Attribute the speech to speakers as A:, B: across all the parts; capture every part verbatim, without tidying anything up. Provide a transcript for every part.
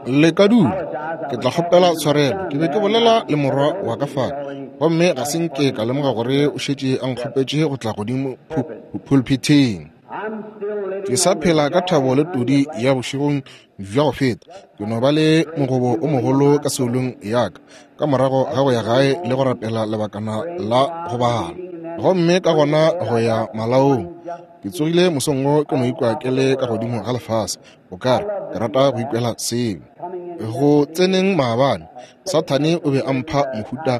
A: Le ka dula. Ke tla kgopela tshwarelo. Ke be ke bolela le morwa wa ka fale, gomme ga se nke ka lemoga gore o šetše a nkgopetše go tla godimo pulpithing. Ke sa phela ka thabo le todi ya bošegong bja go feta. Ke no ba le mogobo o mogolo ka seolong ya ka ka morago ga go ya gae le go rapela lebakana la go bala, gomme ka gona go ya malaong. Ke tsogile mosong wo ke no ikwa ke le ka godimo ga lefase, o kare ke rata go ikwela seo. Go tseneng maabane, Sathane o be a mpha mohuta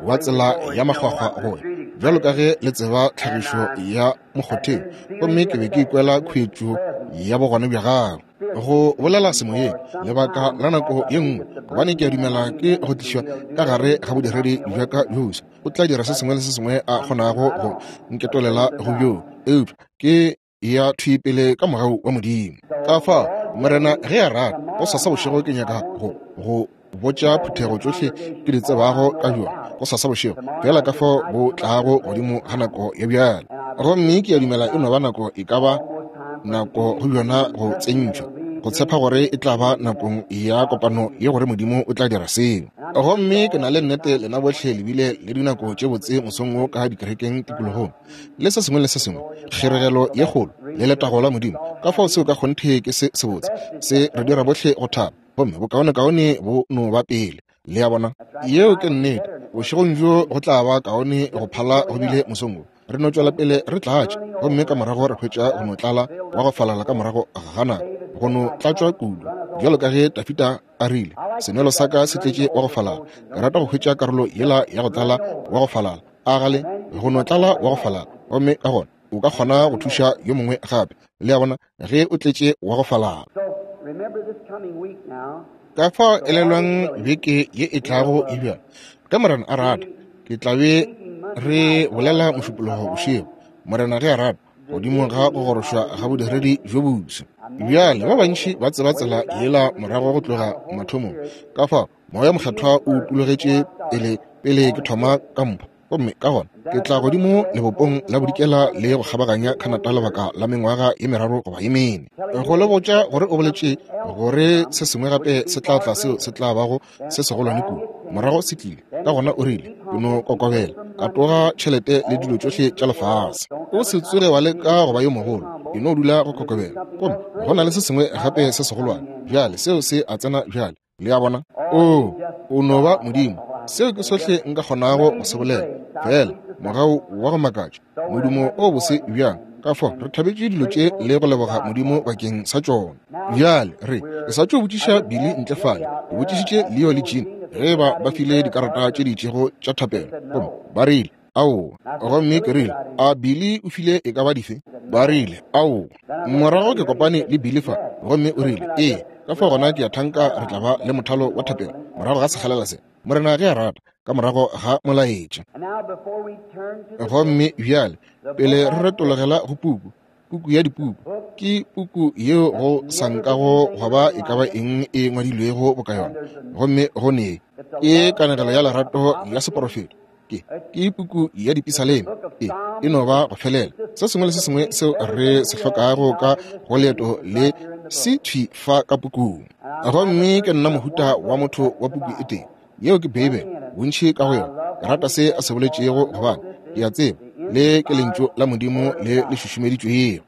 A: wa tsela ya makgwakgwa go ya, bjalo ka ge le tseba tlhagišo ya mokgotheng, gomme ke be ke ikwela khuetšo ya bogona bja gagwe. Go bolela semoyeng lebaka la nako ye nngwe, gobane ke a dumela ke go tlišwa ka gare ga bodiredi bja ka bjosa. O tla dira se sengwe le se sengwe a kgonago go nketolela go bjoo, eupša ke ya thwi pele ka mogau wa Modimo. Ka fao Morena ge a rata, gosasa bošego ke nyaka go go botša phuthego tšohle ke di tsebago ka bjona gosasa bošego, fela ka fao bo tlago godimo ga nako ya bjale. Gomme ke a dumela e no ba nako, e ka ba nako go bjona go tsentšhwa, go tshepa gore e tla ba nakong ya kopano ye gore Modimo o tla dira seo. Gomme ke na le nnete lena bohle le bile le dinako tše botse mosong wo ka dikerekeng tikologong, le se sengwe le se sengwe, kgeregelo ye kgolo le letago la Modimo. Ka fao seo ka kgonthe ke se sebotse, se re dira bohle go thaba, gomme bokaonekaone bo no ba pele. Le a bona? Yeo ke nnete. Bošegong bjo go tla ba kaone go phala go bile mosong wo. Re no tšwela pele re tlatša, gomme ka morago re hwetša go no tlala wa go falala ka morago ga nako, go no tlatšwa kudu, bjalo ka ge Dafida a rile, senwelo sa ka se tletše wa go falala. Ke rata go hwetša karolo yela ya go tlala wa go falala, a gale go no tlala wa go falala, gomme ka gona o ka kgona go thuša yo mongwe gape. Le a bona, ge o tletše wa go falala. Ka fao elelwang beke ye e tlago e bjalo, ge Morena a rata, ke tla be re bolela mošupologo bošego, Morena ge a rata, godimo ga go gorošwa ga bodiredi bjo bofsa. Bjale ba bantši ba tseba tsela yela morago go tloga mathomong. Ka fao Moya Mokgethwa o utologetše pele pele ke thoma ka mpho, gomme ka gona ke tla godimo lebopong la bodikela le go kgabaganya Canada lebaka la mengwaga ye meraro goba ye mene, go le botša gore o boletše gore se sengwe gape se tla tla seo se tla bago se segolwane kudu. Morago se tlile, ka gona o rile, ke no kokobela, ka toga tšhelete le dilo tšohle tša lefase. O se tsoge wa leka go ba yo mogolo, e no dula go kokobela, gomme go na le se sengwe gape se segolwane bjale, seo se a tsena bjale. Le a bona? O, o no ba Modimo. Seo ke sohle nka kgonago go se bolela. Fela mogau wa go makatša, modumo o bose bjang. Ka fao re thabetše dilo tše le go leboga Modimo bakeng sa tšona. Bjale re, ke sa tšo botšiša Billy ntle fale, ke botšišitše Leo le Jean ge ba ba file dikarata tše di itšego tša thapelo, gomme ba rile aowa. Gomme ke rile, a Billy o file e ka ba dife? Ba rile aowa. Morago ke kopane le Billy fa, gomme o rile ee. Ka fao gona ke a thanka re tla ba le mothalo wa thapelo morago ga sekgalela se, Morena ge a rata, ka morago ga molaetša. Gomme bjale pele re retologela go puku, puku ya dipuku, ke puku yeo go sa nkago gwa ba e ka ba eng e ngwadilwego boka yona, gomme go ne ke kanegelo ya lerato ya seporofeto. Ke ke puku ya dipisaleme, e e no ba go felela. Se sengwe le se sengwe seo re se hlokago ka go leeto le se thwi fa ka pukung. Gomme ke nna mohuta wa motho wa puku e tee, yeo ke Beibele, bontši ka go yona. Ke rata se a se boletšego, gobane ke a tseba le ke lentšu la Modimo le le šušumeditšwego.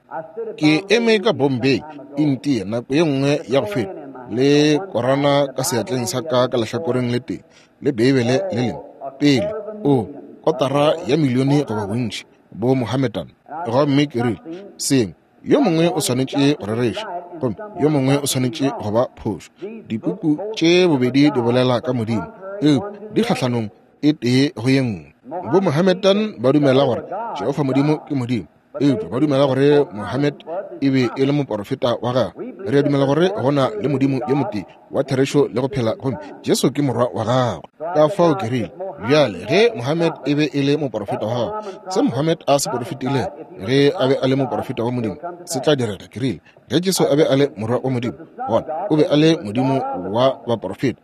A: Ke eme ka Bombay, India, nako ye nngwe ya go feta, le korana ka seatleng sa ka ka lehlakoreng le tee, le Beibele le lengwe pele, o kotara ya milione goba bontši bo Mohammedan. Gomme ke rile, sengwe yo mongwe o swanetše go rereša, gomme yo mongwe o swanetše go ba phošo. Dipuku tše bobedi di bolela ka Modimo, eupša di kgahlanong e tee go ye nngwe. Bo Mohammedan ba dumela gore Jehofa Modimo ke Modimo, eupša ba dumela gore Mohammed e be e le moporofeta wa gagwe. Re a dumela gore go na le Modimo yo motee wa therešo le go phela, gomme Jesu ke morwa wa gagwe. Ka fao ke rile, bjale ge Mohammed e be e le moporofeta wa gagwe, se Mohammed a se porofetilego ge a be a le moporofeta wa Modimo se tla direga. Ke rile, ge Jesu a be a le morwa wa Modimo, gona o be a le Modimo wa baporofeta,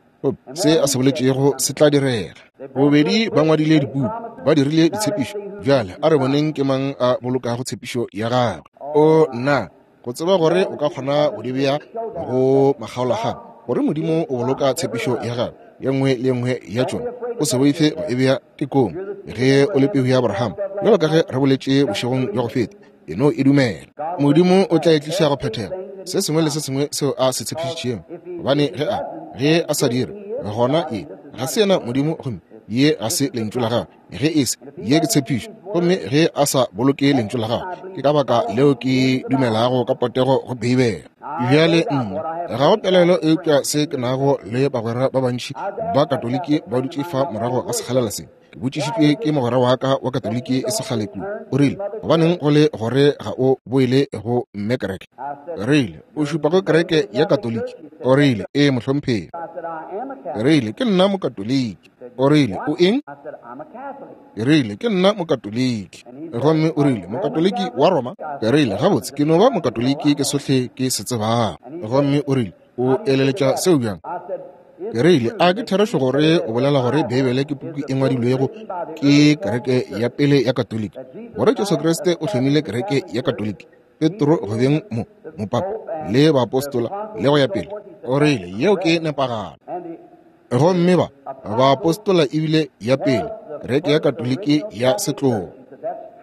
A: se a se boletšego se tla direga. Bobedi ba ngwadile dipuku, ba dirile ditshepišo. Bjale a re boneng ke mang a bolokago tshepišo ya gagwe. O nna go tseba gore o ka kgona go di bea go makgaolakgang, gore Modimo o boloka tshepišo ya gagwe ye nngwe le ye nngwe ya tšona. O se boife go e bea tekong ge o le peu ya Abraham, bjalo ka ge re boletše bošegong bja go feta. E no e dumela. Modimo o tla e tliša go phethega se sengwe le se sengwe seo a se tshepišitšego, gobane ge a ge a sa dire, gona ye ga se yena Modimo, gomme ye ga se lentšu la gagwe. Ge e se, ye ke tshepišo, gomme ge a sa boloke lentšu la gagwe, ke ka baka leo ke dumelago ka potego go Beibele. Bjale nna ga go pelaelo eupša se ke nago le bagwera ba bantši ba Katoliki ba dutše fa morago ga sekgalela se. Ke botšišitšwe ke mogwera wa ka wa Katoliki e sekgale kudu. O rile, gobaneng go le gore ga o boele go mme kereke? Rile, o šupa go kereke ya Katoliki? O rile, ee mohlomphegi. Rile, ke nna Mokatoliki. O rile, o eng? Rile, ke nna Mokatoliki. Gomme o rile, Mokatoliki wa Roma? Rile, gabotse ke no ba Mokatoliki, ke sohle ke se tsebago. Gomme o rile, o eleletša seo bjang? Ke rile, a ke therešo gore o bolela gore Beibele ke puku e ngwadilwego ke kereke ya pele ya Katoliki, gore Jesu Kriste o hlomile kereke ya Katoliki, Petro go beng mo mopapa le baapostola le go ya pele? O rile, yeo ke nepagalo. Gomme ba baapostola ebile ya pele kereke ya Katoliki ya setlogo.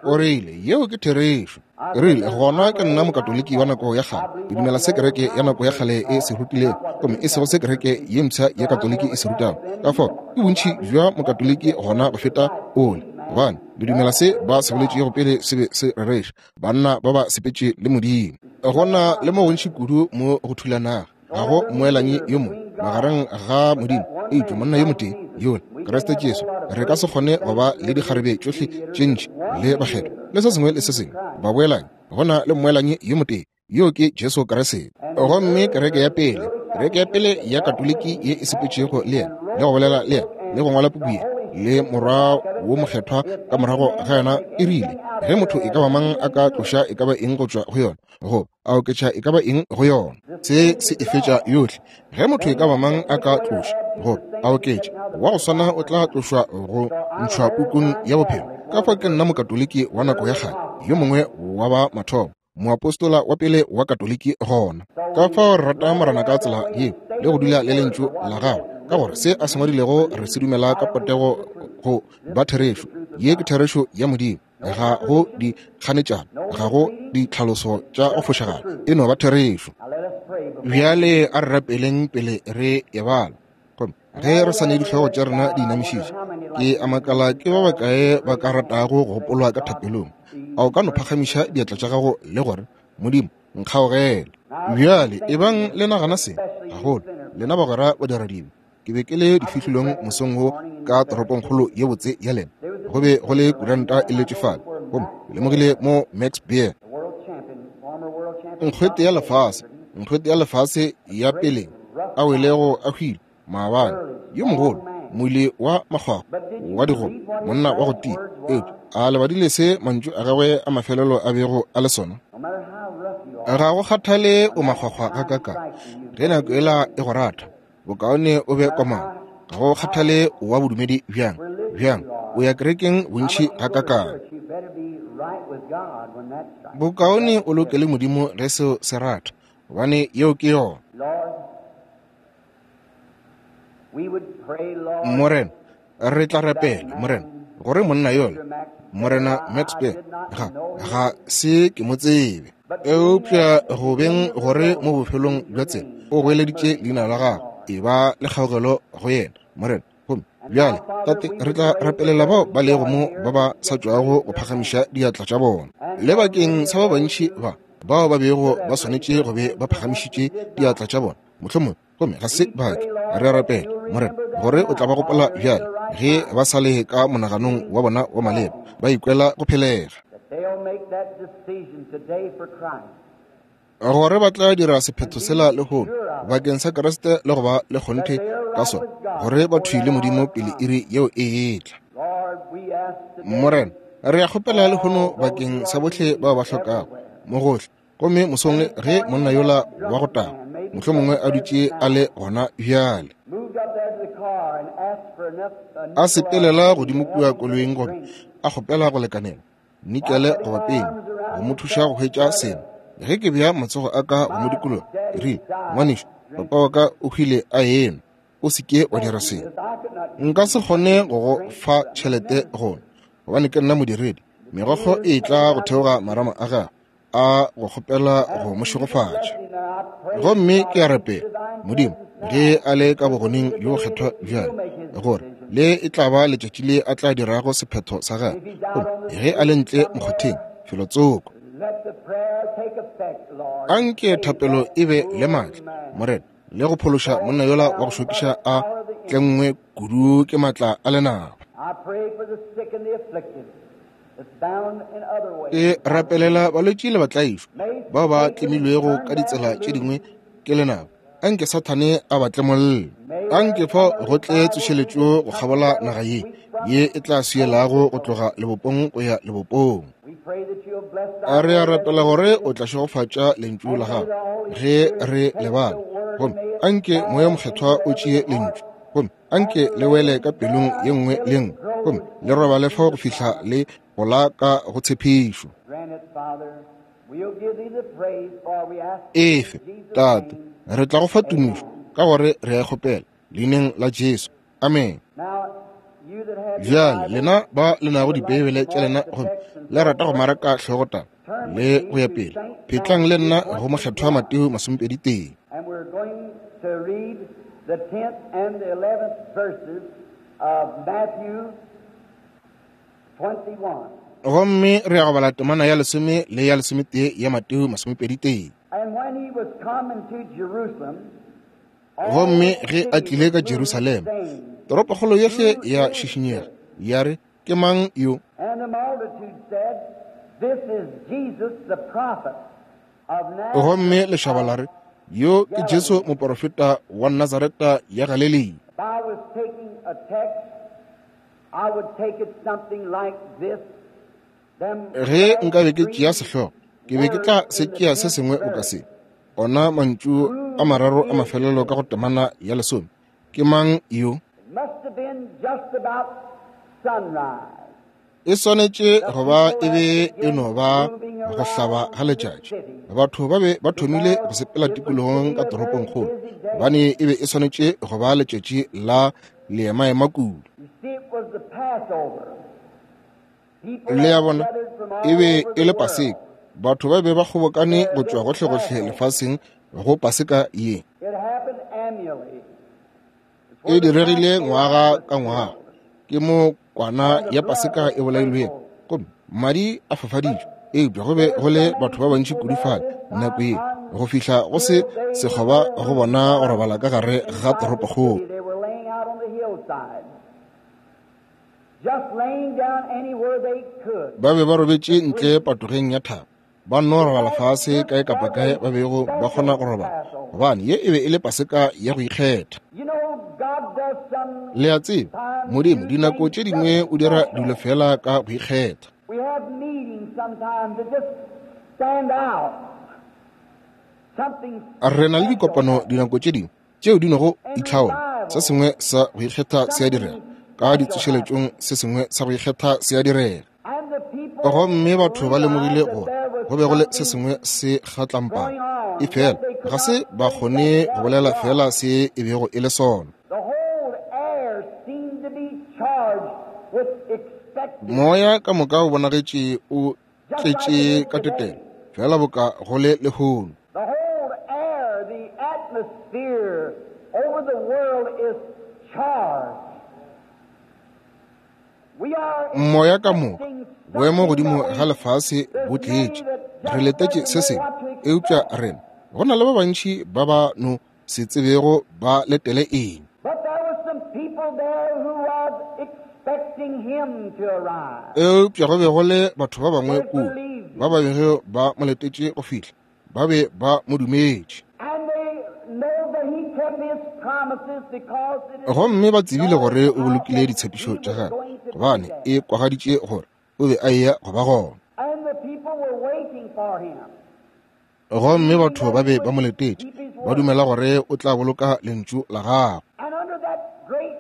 A: O rile, yeo ke therešo. Rile, gona ke nna Mokatoliki wa nako ya kgale. Ke dumela se kereke ya nako ya kgale e se rutilego, gomme e sego se kereke ye mpsha ya Katoliki e se rutago. Ka fao ke bontši bja Mokatoliki gona go feta ole, gobane le dumela se ba se boletšego pele se be se rereša. Banna ba ba sepetše le Modimo. Gona le mo gontši kudu mo go thulanago. Ga go mmoelanyi yo mongwe magareng ga Modimo eupša monna yo motee yola, Kriste Jesu. Re ka se kgone go ba le dikgarebe tšohle tše ntši le bakgethwa le se sengwe le se sengwe baboelanyi. Gona le mmoelanyi yo motee, yo ke Jesu Kriste. Gomme kereke ya pele, kereke ya pele ya Katoliki ye e sepetšego le yena le go bolela le yena le go ngwala puku ye le morwa wo mokgethwa ka morago ga yona, e rile ge motho e ka ba mang a ka tloša e ka ba eng go tšwa go yona, go a oketša e ka ba eng go yona, se se e fetša yohle. Ge motho e ka ba mang a ka tloša go a oketša, wa go swana o tla tlošwa go ntšhwa pukung ya bophelo. Ka fa ke nna Mokatoliki wa nako ya kgale, yo mongwe wa ba mathomo, moapostola wa pele wa Katoliki gona. Ka fao re rata Morena ka tsela ye le go dula le lentšu la gagwe, ka gore se a se ngwadilego re se dumela ka potego go ba therešo. Ye ke therešo ya Modimo, ga go di kganetšano, ga go ditlhaloso tša go fošagala, e no ba therešo. Bjale a re rapeleng pele re e bala. Gomme ge re sa ne dihlogo tša rena di inamišitše, ke a makala ke ba bakae ba ka ratago go gopolwa ka thapelong. A o ka no phagamiša diatla tša gago le gore, Modimo, nkgaogele. Bjale ebang le nagana se gagolo, lena bagwera ba diradibe. Ke be ke le difihlolong mosong wo ka toropongkgolo ye botse ya lena. Go be go le kuranta e letše fale, gomme ke lemogile mo Max Beer, nkgwete ya lefase, nkgwete ya lefase ya peleng, a welego a hwile maabane, yo mogolo, moile wa makgwakgwa wa digoba, monna wa go tia. Eupša a lebadile se mantšu a gagwe a mafelelo a bego a le sona? Ga go kgathale o makgwakgwa gakakang, ge nako ela e go rata, bokaone o be komana. Ga go kgathale wa bodumedi bjang bjang, o ya kerekeng bontši gakakang, bokaone o loke le Modimo ge seo se rata, gobane yeo ke yona. Morena, re tla rapela, Morena, gore monna yola, Morena Max Beer, ga ga se ke mo tsebe, eupša go beng gore mo bofelong bja tsela o goeleditše leina la gagwe, e ba le kgaogelo go yena, Morena. Gomme bjale, Tate, re tla rapelela bao ba lego mo ba ba sa tšwago go phagamiša diatla tša bona, le bakeng sa ba bantši ba bao ba bego ba swanetše go be ba phagamišitše diatla tša bona mohlomongwe, gomme ga se bake. Re a rapela, Morena, gore o tla ba gopola bjale ge ba sa le ka monaganong wa bona wa maleba, ba ikwela go phelega, gore ba tla dira sephetho sela lehono bakeng sa Kriste le go ba le kgonthe ka sona, gore ba thwi le Modimo pele iri yeo e etla. Morena, re a kgopela lehono bakeng sa bohle bao ba hlokago mo gohle. Gomme mosong ge monna yola wa go taga mohlomongwe a dutše a le gona bjale, a sepelela godimo kua koloing gomme a kgopela go lekanela nikele goba peni go mo thuša go hwetša seno, Ge ke bea matsogo a ka go mo dikologa, ke rile, ngwanešu, papa wa ka o hwile a enwa, o se ke wa dira seo. Nka se kgone go go fa tšhelete gona, gobane ke nna modiredi. Megokgo e tla go theoga marama a gagwe a go kgopela go mo šegofatša. Gomme ke a rapela, Modimo, ge a le ka bogoneng bjo bokgethwa bjale, gore le e tla ba letšatši le a tla dirago sephetho sa gagwe. Gomme ge a le ntle mokgotheng felotsoko, anke thapelo e be le maatla, Morena, le go phološa monna yola wa go šokiša a tlengwe kudu ke maatla a lenaba. Ke rapelela balwetši le batlaišwa bao ba tlemilwego ka ditsela tše dingwe ke lenaba. Anke Sathane a ba tlemolle. Anke fao go tle tsošeletšo go kgabola naga ye, ye e tla swielago go tloga lebopong go ya lebopong. A re a rapela gore o tla šegofatša lentšu la gago ge re lebala. Gomme anke Moya Mokgethwa o tšee lentšu, gomme anke le wele ka pelong ye nngwe le nngwe, gomme le robale fao go fihla le gola ka go tshepišo. Efe, Tate, re tla go fa tumišo ka gore re a kgopela leineng la Jesu. Amen. Bjale lena ba le nago dibeibele tša lena gomme le rata go maraka hlogotaba le go ya pele, phetlang le nna go Mokgethwa Mateo masomepedi tee.
B: And we're going to read the tenth and the eleventh verses of Matthew twenty-one.
A: Gomme re ya go bala temana ya lesome le ya lesometee ya Mateo masomepedi tee.
B: And when he was come into Jerusalem,
A: Gomme ge a tlile ka Jerusalema, toropokgolo yohle ya šišinyega, ya re, ke mang yo?
B: And the multitude said, This is Jesus the prophet of Nazareth.
A: Gomme lešaba la re, yo ke Jesu moporofeta wa Nazareta ya Galilea.
B: If I was taking a text, I would take it something like this. Them
A: Ge nka be ke tšea sehlogo, ke be ke tla se tšea se sengwe boka se. Ona mantšu a mararo a mafelelo ka go temana ya lesome. Ke mang yo?
B: It must have been just about sunrise.
A: E swanetše go ba e be e no ba go hlaba ga letšatši. Batho ba be ba thomile go sepela tikologong ka toropongkgolo, gobane e be e swanetše go ba letšatši la leemaema kudu.
B: You see, it was the Passover. People
A: Le a
B: had
A: bona,
B: gathered from all
A: e be
B: over
A: e
B: the
A: le
B: world.
A: Paseka. Batho ba be ba kgobokane go tšwa gohlegohle lefaseng go Paseka ye.
B: It happened annually. It's
A: E
B: where the
A: diregile
B: Passover
A: ngwaga
B: was
A: ka ngwaga.
B: killed.
A: Ke mo kwana ya Paseka e bolailwego, gomme madi a fafaditšwe. Eupša go be go le batho ba bantši kudu fale nako ye, go fihla go se sekgoba go bona go robala ka gare ga
B: Inside the
A: toropokgolo.
B: city, they were laying out on the hillside, just laying down anywhere they could.
A: Ba be ba robetše ntle patogeng ya thaba, ba nno robala fase kae kapa kae ba bego ba kgona go robala, gobane ye e be e le Paseka ya go ikgetha.
B: You know, God does some
A: Le a tseba, Modimo dinako tše dingwe o dira dilo fela ka go ikgetha.
B: We have meetings sometimes that just stand out. Something
A: Re na le
B: special
A: dikopano
B: happens.
A: dinako tše dingwe tšeo di nogo itlhaola. Se sengwe sa go ikgetha se a direga, ka ditsošeletšong se sengwe sa go ikgetha se a direga.
B: And the people
A: Gomme batho ba lemogile
B: realized that
A: gore
B: there was
A: go be go le se
B: something
A: sengwe se kgatlampana,
B: going on
A: e fela
B: that they could
A: ga se
B: not
A: ba
B: say
A: kgone
B: just
A: go
B: what
A: bolela
B: it
A: fela
B: was.
A: se e bego e le sona.
B: The whole air seemed to be charged with expectancy,
A: Moya ka moka o bonagetše o
B: just like it
A: tletše
B: is
A: ka
B: today.
A: tetelo, fela boka go le lehono.
B: The whole air, the atmosphere over the world is charged. We are
A: Moya ka moka,
B: expecting
A: boemo
B: something,
A: godimo
B: but
A: ga
B: we
A: lefase
B: there's
A: bo
B: many
A: tletše.
B: that
A: Re
B: just
A: letetše
B: doesn't
A: se
B: know
A: sengwe,
B: what to
A: eupša
B: expect.
A: rena go na le ba bantši ba ba no se tsebego ba letele eng.
B: But there was some people there who was expecting him to arrive.
A: Eupša go be go le batho ba bangwe
B: They
A: kua
B: believed
A: ba
B: him.
A: ba bego ba mo letetše go fihla, ba be ba mo dumetše.
B: And they know that he kept his promises because it is
A: Gomme ba tsebile
B: known
A: gore o
B: out
A: bolokile
B: that
A: ditshepišo
B: he
A: tša
B: was
A: gagwe,
B: going to be
A: gobane
B: there.
A: e kwagaditše gore o be a eya go ba gona.
B: And the people were waiting for him,
A: Gomme
B: believing
A: batho
B: that
A: ba
B: he
A: be ba
B: would
A: mo letetše,
B: keep his
A: ba
B: word.
A: dumela gore o tla boloka lentšu la gagwe.
B: And under that great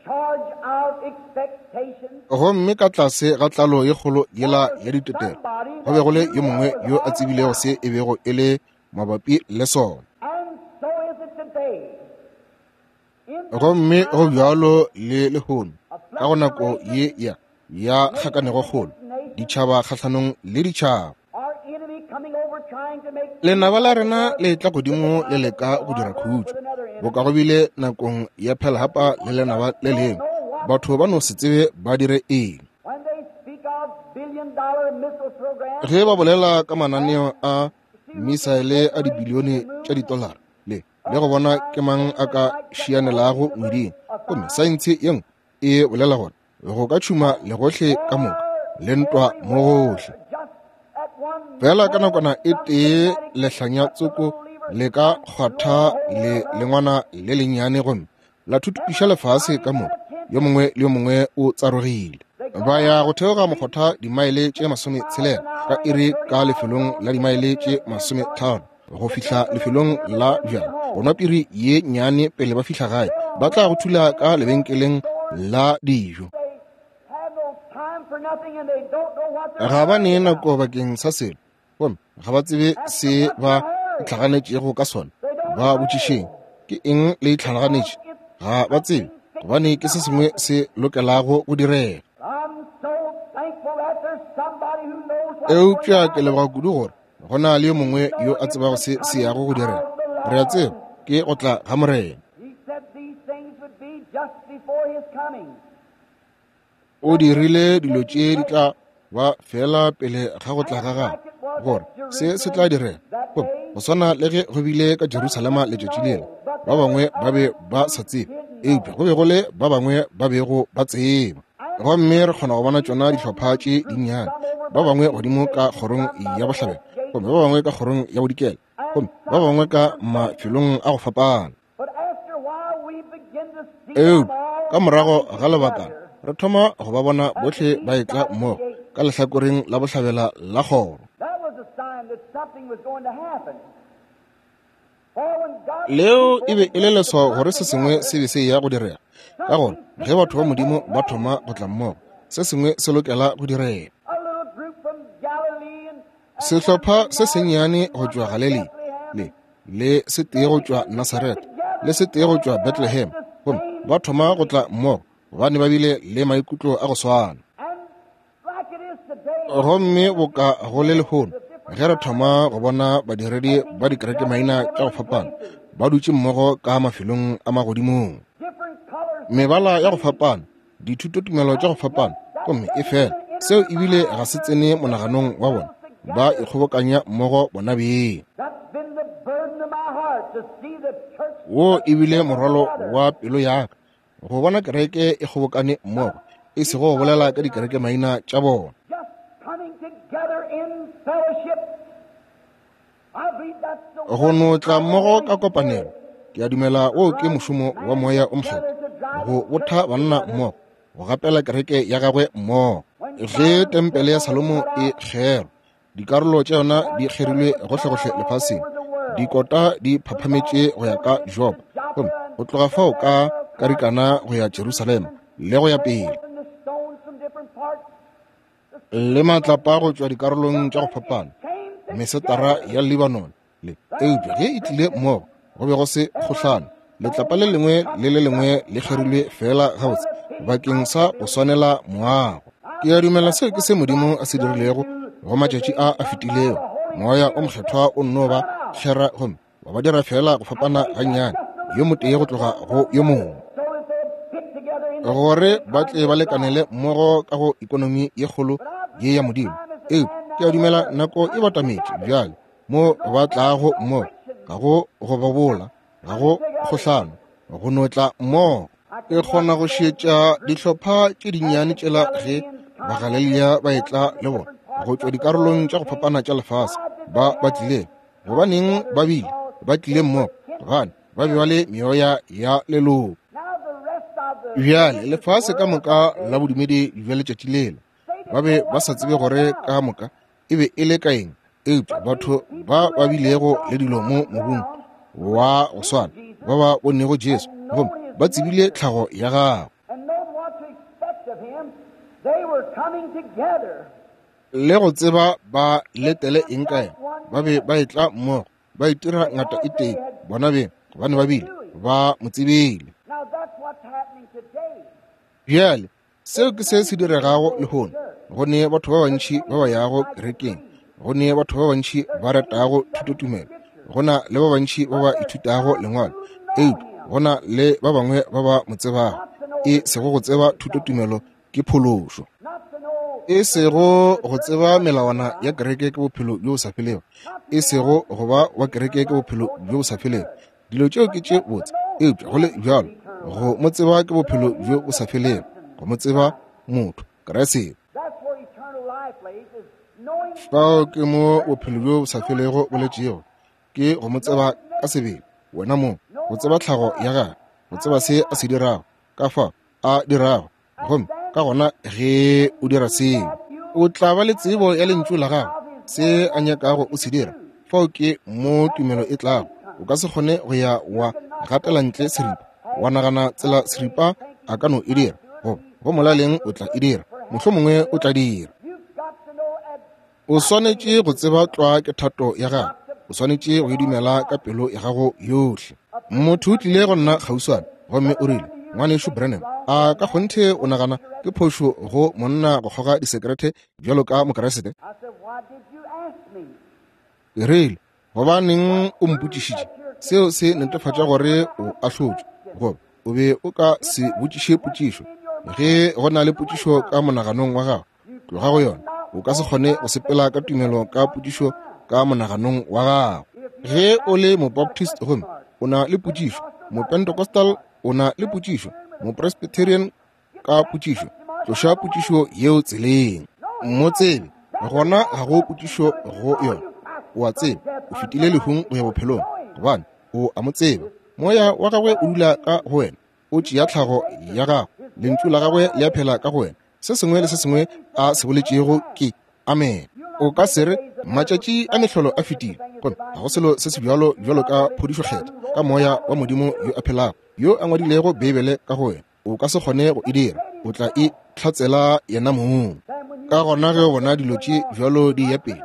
B: charge of
A: Gomme ka tlase ga tlalo ye kgolo yela ya ditetelo go be go le yo mongwe yo a tsebilego se e bego e le mabapi le sona. Gomme go bjalo le lehono ka go nako ye ya ya kgakanego kgolo, ditšhaba kgahlanong le ditšhaba. Lenaba la rena le tla godimo le leka go dira khutšo, boka go bile nakong ya Pearl Harbor le lenaba le lengwe. Batho ba no se tsebe ba dire eng. Ge ba bolela ka mananeo a misaele a dibilione tša ditolara le le go bona ke mang a ka šianelago ngweding, gomme saense ye nngwe e bolela gore go ka tšhuma legohle ka moka le ntwa mo gohle. Fela ka nakwana e tee lehlanya tsoko le ka kgwatha le lengwana le lennyane gomme la thuthupiša lefase ka moka. Yo mongwe le yo mongwe o tsarogile. Ba ya go theoga mokgotha dimaele tše masometshelela ka iri ka lefelong la dimaele tše masometharo go fihla lefelong la bjala go nwa piri ye nnyane pele ba fihla gae. Ba tla go thula ka lebenkeleng la dijo. Ga ba ne nako bakeng sa selo, gomme ga ba tsebe se ba itlhaganetšego ka sona. Ba botšišeng, ke eng le itlhaganetše? Ga ba tsebe, gobane ke se sengwe se lokelago go direga. Eupša ke leboga kudu gore go na le yo mongwe yo a tsebago se se yago go direga. Re a tseba ke go tla ga Morena. O dirile dilo tše di tla ba fela pele ga go tla ga gagwe, gore se se tla direga. Gomme go swana le ge go bile ka Jerusalema letšatši lela, ba bangwe ba be ba sa tsebe, eupša go be go le ba bangwe ba bego ba tseba. Gomme re kgona go bona tšona dihlopha tše dinnyane, ba bangwe godimo ka kgorong ya bohlabela, gomme ba bangwe ka kgorong ya bodikela, gomme ba bangwe ka mafelong a go fapana. Eupša ka morago ga lebakana re thoma go ba bona bohle ba etla mmogo ka lehlakoreng la bohlabela la kgoro. Leo e be e le leswao gore se sengwe se be se ya go direga, ka gore ge batho ba Modimo ba thoma go tla mmogo, se sengwe se lokela go direga. Sehlopha se sennyane go tšwa Galilea le le se tee go tšwa Nasaretha le se tee go tšwa Bethlehem, gomme ba thoma go tla mmogo gobane ba bile le maikutlo a go swana. Gomme boka go le lehono ge re thoma go bona badiredi ba dikerekemaina tša go fapana ba dutše mmogo ka mafelong a magodimong, mebala ya go fapana, dithutotumelo tša go fapana, gomme e fela seo ebile ga se tsene monaganong wa bona, ba ikgobokanya mmogo bona beng. Wo ebile morwalo wa pelo ya ka go bona kereke e kgobokane mmogo, e sego go bolela ka dikerekemaina tša bona. Go no tla mmogo ka kopanelo, ke a dumela wo ke mošomo wa Moya o Mokgethwa, go botha banna mmogo, go gapela kereke ya gagwe mmogo. Ge tempele ya Salomo e kgerwa, dikarolo tša yona di kgerilwe gohlegohle lefaseng, dikota di phaphametše go ya ka Jopa, gomme go tloga fao ka karikana go ya Jerusalema le go ya pele, le matlapa go tšwa dikarolong tša go fapana, mesetara ya Lebanon le. Eupša ge e tlile mmogo go be go se kgohlano, letlapa le lengwe le le lengwe le kgerilwe fela gabotse bakeng sa go swanela moago. Ke a dumela seo ke se Modimo a se dirilego go matšatši a a fetilego. Moya o Mokgethwa o nno ba kgera gomme wa ba dira fela go fapana gannyane, yo motee go tloga go yo mongwe, gore ba tle ba lekanele mmogo ka go ikonomi ye kgolo ye ya Modimo. Eupša ke a dumela nako e batametše bjale mo ba tlago mmogo, ga go go bobola, ga go kgohlano, go no tla mmogo. E kgona go šetša dihlopha tše dinnyane tšela ge Bagalilea ba etla le bona go tšwa dikarolong tša go fapana tša lefase. Ba ba tlile gobaneng ba bile ba tlile mmogo? Gobane ba be ba le meoya ya leloko. Bjale lefase ka moka la bodumedi bja letšatši lela ba be ba sa tsebe gore ka moka e be e le ka eng, eupša batho ba ba bilego le dilo mo mobung wa go swana ba ba bonego Jesu gomme ba tsebile tlhago ya gagwe. Le go tseba ba letele eng ka yena, ba be ba etla mmogo, ba itira ngata e tee bona beng, gobane ba bile ba mo tsebile. Bjale seo ke se se diregago lehono. Go ne batho ba bantši ba ba yago kerekeng, go ne batho ba bantši ba ratago thutotumelo, go na le ba bantši ba ba ithutago lengwalo, eupša go na le ba bangwe ba ba mo tsebago. E sego go tseba thutotumelo ke phološo, e sego go tseba melawana ya kereke ke bophelo bjo bo sa felego, e sego go ba wa kereke ke bophelo bjo bo sa felego. Dilo tšeo ke tše botse, eupša go le bjalo go mo tseba ke bophelo bjo bo sa felego, go mo tseba motho Kriste. Fao ke mo bophelo bjo bo sa felego bo letšego, ke go mo tseba ka sebele wena mong, go tseba tlhago ya gagwe, go tseba se a se dirago, ka fao a dirago. Gomme ka gona ge o dira seo, o tla ba le tsebo ya lentšu la gagwe, se a nyakago o se dira. Fao ke mo tumelo e tlago. O ka se kgone go ya wa gatela ntle seripa, wa nagana tsela seripa a ka no e dira, goba go molaleng o tla e dira, mohlomongwe o tla dira. O swanetše go tseba tlwa ke thato ya gago, o swanetše go e dumela ka pelo ya gago yohle. Motho o tlile go nna kgauswana gomme o rile, Ngwanešu Branham, a ka kgonthe o nagana ke phošo go monna go kgoga disekerete bjalo ka Mokriste? Ke rile, gobaneng o mpotšišitše? Seo se netefatša gore o ahlotšwe, goba o be o ka se botšiše potšišo. Ge go na le potšišo ka monaganong wa gago, tloga go yona. O ka se kgone go sepela ka tumelo ka potšišo ka monaganong wa gago. Ge o le Mobaptist gomme o na le potšišo, Mopentecostal o na le potšišo, Mopresbyterian ka potšišo, tloša potšišo yeo tseleng. Mo tsebe, gona ga go potšišo go yona. O a tseba o fetile lehung go ya bophelong, gobane o a mo tseba. Moya wa gagwe o dula ka go wena, o tšea tlhago ya gago, lentšu la gagwe le a phela ka go wena. Se sengwe le se sengwe a se boletšego ke amen. O ka se re matšatši a mehlolo a fetile, gomme ga go selo se se bjalo bjalo ka phodišo kgetha ka moya wa Modimo yo a phelago, yo a ngwadilego Beibele ka go wena. O ka se kgone go e dira, o tla e hlatsela yena mong. Ka gona ge o bona dilo tše bjalo di ya pele,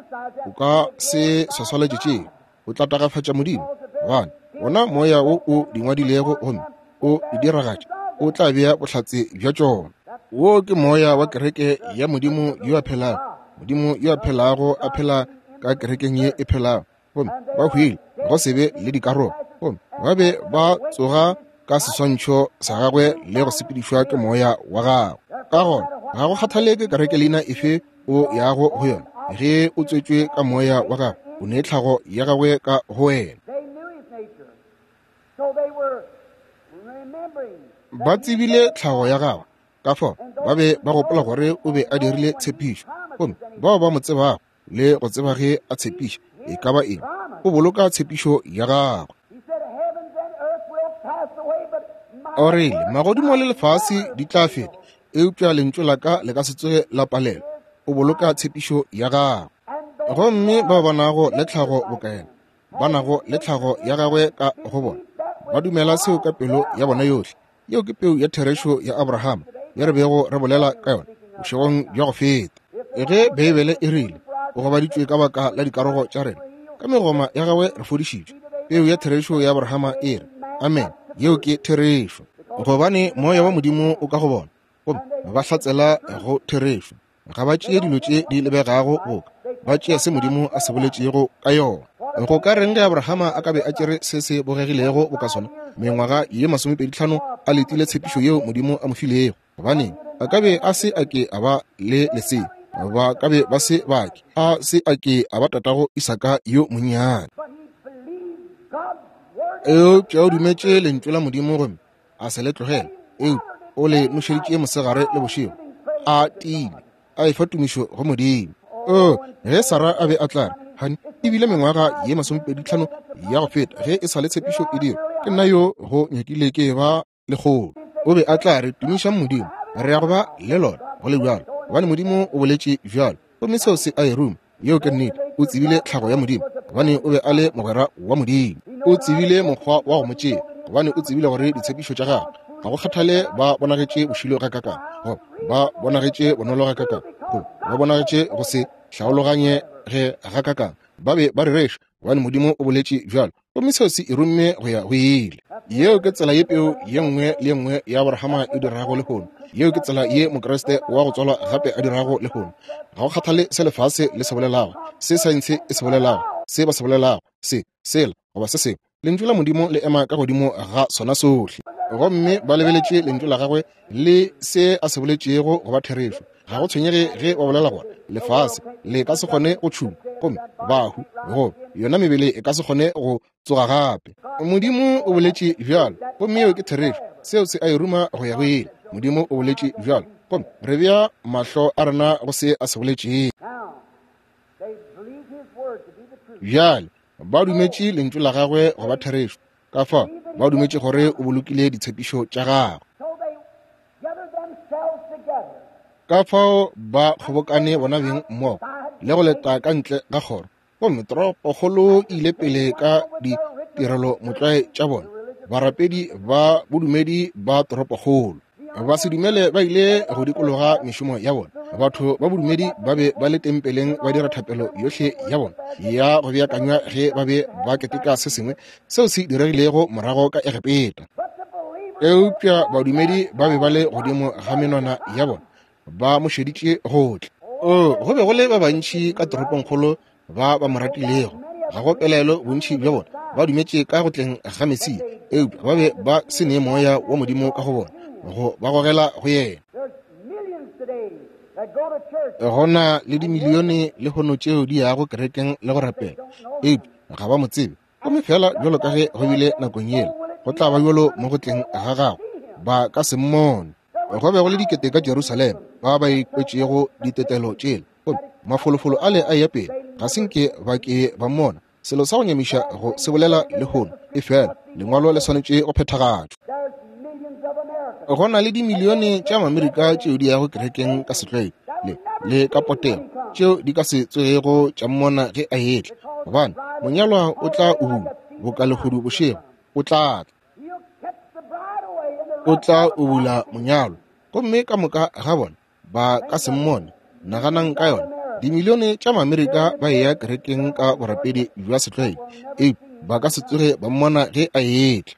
A: o ka se swaswalatše tšeo, o tla tagafatša Modimo, gobane wona moya wo o di ngwadilego gomme o di diragatša o tla bea bohlatse bja tšona. Wo ke moya wa kereke ya Modimo yo a phelago, Modimo yo a phelago a phela ka kerekeng ye e phelago, gomme ba hwile go se be le dikarolo, gomme ba be ba tsoga ka seswantšho sa gagwe le go sepedišwa ke moya wa gagwe. Ka gona ga go kgathaleke kereke leina efe o yago go yona, ge o tswetšwe ka moya wa gagwe, o ne tlhago ya gagwe ka go wena. Ba tsebile tlhago ya gagwe, ka fao ba be ba gopola gore o be a dirile tshepišo, gomme bao ba mo tsebago le go tseba ge a tshepiša e ka ba eng, o boloka tshepišo ya gagwe. O rile, magodimo le lefase di tla feta, eupša lentšu la ka le ka se tsoge la palelwa. O boloka tshepišo ya gagwe. Gomme ba ba nago le tlhago bokaena, ba nago le tlhago ya gagwe ka go bona, ba dumela seo ka pelo ya bona yohle. Yeo ke peu ya therešo ya Abrahama ye re bego re bolela ka yona bošegong bja go feta. Ge Beibele e rile o gobaditšwe ka baka la dikarogo tša rena, ka megoma ya gagwe re fodišitšwe. Peu ya therešo ya Abrahama e re amen. Yeo ke therešo, gobane moya wa Modimo o ka go bona, gomme ba hlatsela go therešo. Ga ba tšee dilo tše di lebegago boka, ba tšea se Modimo a se boletšego ka yona. Go ka reng ge Abrahama a ka be a tšere se se bogegilego boka sona mengwaga ye masomepedi tlhano a letile tshepišo yeo Modimo a mo filego? Gobaneng a ka be a se a ke a ba le lesea, ba ka be ba se ba ke a se a ke a ba tatago Isaka yo monnyane. Eupša o dumetše lentšu la Modimo gomme a se le tlogele, eupša o le nošeditše mosegare le bošego, a tiile, a efa tumišo go Modimo. O ge Sara a be a tla re, hani, ebile mengwaga ye masomepedi tlhano ya go feta ge e sa le tshepišo e dira, ke nna yo go nyakile ke ba lekgolo. O be a tla re, tumišang Modimo, re ya go ba le lona go le bjalo, gobane Modimo o boletše bjalo. Gomme seo se a e ruma. Yeo ke nnete. O tsebile tlhago ya Modimo, gobane o be a le mogwera wa Modimo. O tsebile mokgwa wa go mo tšea, gobane o tsebile gore ditshepišo tša gagwe Ga go kgathale ba bonagetše bošilo gakakang, goba ba bonagetše bonolo gakakang, goba ba bonagetše go se hlaologanye ge gakakang, ba be ba rereša, gobane Modimo o boletše bjalo, gomme seo se e rumme go ya go ile. Yeo ke tsela ye peu ye nngwe le ye nngwe ya Abrahama e dirago lehono. Yeo ke tsela ye Mokriste wa go tswalwa gape a dirago lehono. Ga go kgathale se lefase le se bolelago, se saense e se bolelago, se ba se bolelago, se, sela, goba se sengwe, Lentšu la Modimo le ema ka godimo ga sona sohle. Gomme ba lebeletše Lentšu la gagwe le se a se boletšego go ba therešo. Ga go tshwenyege ge ba bolela gore lefase le ka se kgone go tšhuma, gomme bahu goba yona mebele e ka se kgone go tsoga gape. Modimo o boletše bjalo, gomme yeo ke therešo. Seo se a e ruma go ya go ile. Modimo o boletše bjalo, gomme re bea mahlo a rena go se a se boletšego. Bjale ba dumetše Lentšu la gagwe go ba therešo, ka fao ba dumetše gore o bolokile ditshepišo tša gagwe. Ka fao ba kgobokane bona beng mmogo le go leta ka ntle ga kgoro, gomme toropokgolo e ile pele ka ditirelo motlwae tša bona, barapedi ba bodumedi ba toropokgolo. Ba se dumele ba ile go dikologa mešomo ya bona. Batho ba bodumedi ba be ba le tempeleng ba dira thapelo yohle ya bona ya go beakanywa ge ba be ba keteka se sengwe seo se diregilego morago ka Egepeta. Eupša badumedi ba be ba le godimo ga menwana ya bona, ba mo šeditše go tla. O, go be go le ba bantši ka toropongkgolo ba ba mo ratilego. Ga go pelaelo bontši bja bona ba dumetše ka go tleng ga Mesia, eupša ba be ba se ne moya wa Modimo ka go bona go ba gogela go yena. Go na le dimilione lehono tšeo di yago kerekeng le go rapela, eupša ga ba mo tsebe. Gomme fela bjalo ka ge go bile nakong yela, go tla ba bjalo mo go tleng ga gagwe, ba ka se mmone. Go be go le dikete ka Jerusalema ba ba ikwetšego ditetelo tšela, gomme mafolofolo ale a eya pele, ga se nke ba ke ba mmona. Selo sa go nyamiša go se bolela lehono, efela lengwalo le swanetše go phethagatšwa. Go na le dimilione tša Maamerika tšeo di yago kerekeng ka setlwaedi le le ka potego, tšeo di ka se tsogego tša mmona ge a etla, gobane monyalwa o tla ubula boka lehodu bošego. O tla tla, o tla ubula monyalwa, gomme ka moka ga bona ba ka se mmone. Naganang ka yona, dimilione tša Maamerika ba eya kerekeng ka borapedi bja setlwaedi, eupša ba ka se tsoge ba mmona ge a etla.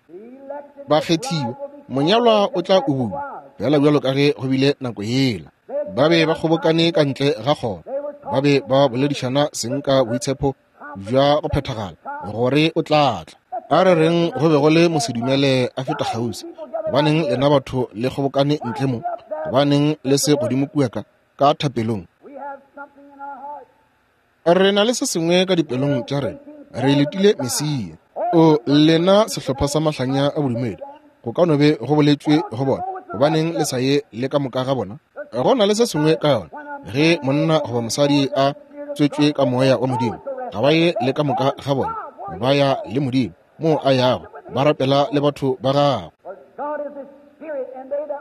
A: Bakgethiwa, monyalwa o tla ubula fela bjalo ka ge go bile nako yela. Ba be ba kgobokane ka ntle ga kgoro, ba be ba boledišana seng ka boitshepo bja go phethagala gore o tla tla. A re reng go be go le mosedumele a feta kgauswi, gobaneng lena batho le kgobokane ntle mo? Gobaneng le se godimo kua ka ka thapelong? Re na le se sengwe ka dipelong tša rena, re letile Mesia. O lena sehlopha sa mahlanya a bodumedi, go ka no be go boletšwe go bona, gobaneng le sa ye le ka moka ga bona? Go na le se sengwe ka yona, ge monna goba mosadi a tswetšwe ka moya wa Modimo, ga ba ye le ka moka ga bona, ba ya le Modimo moo a yago, ba rapela le batho ba gagwe.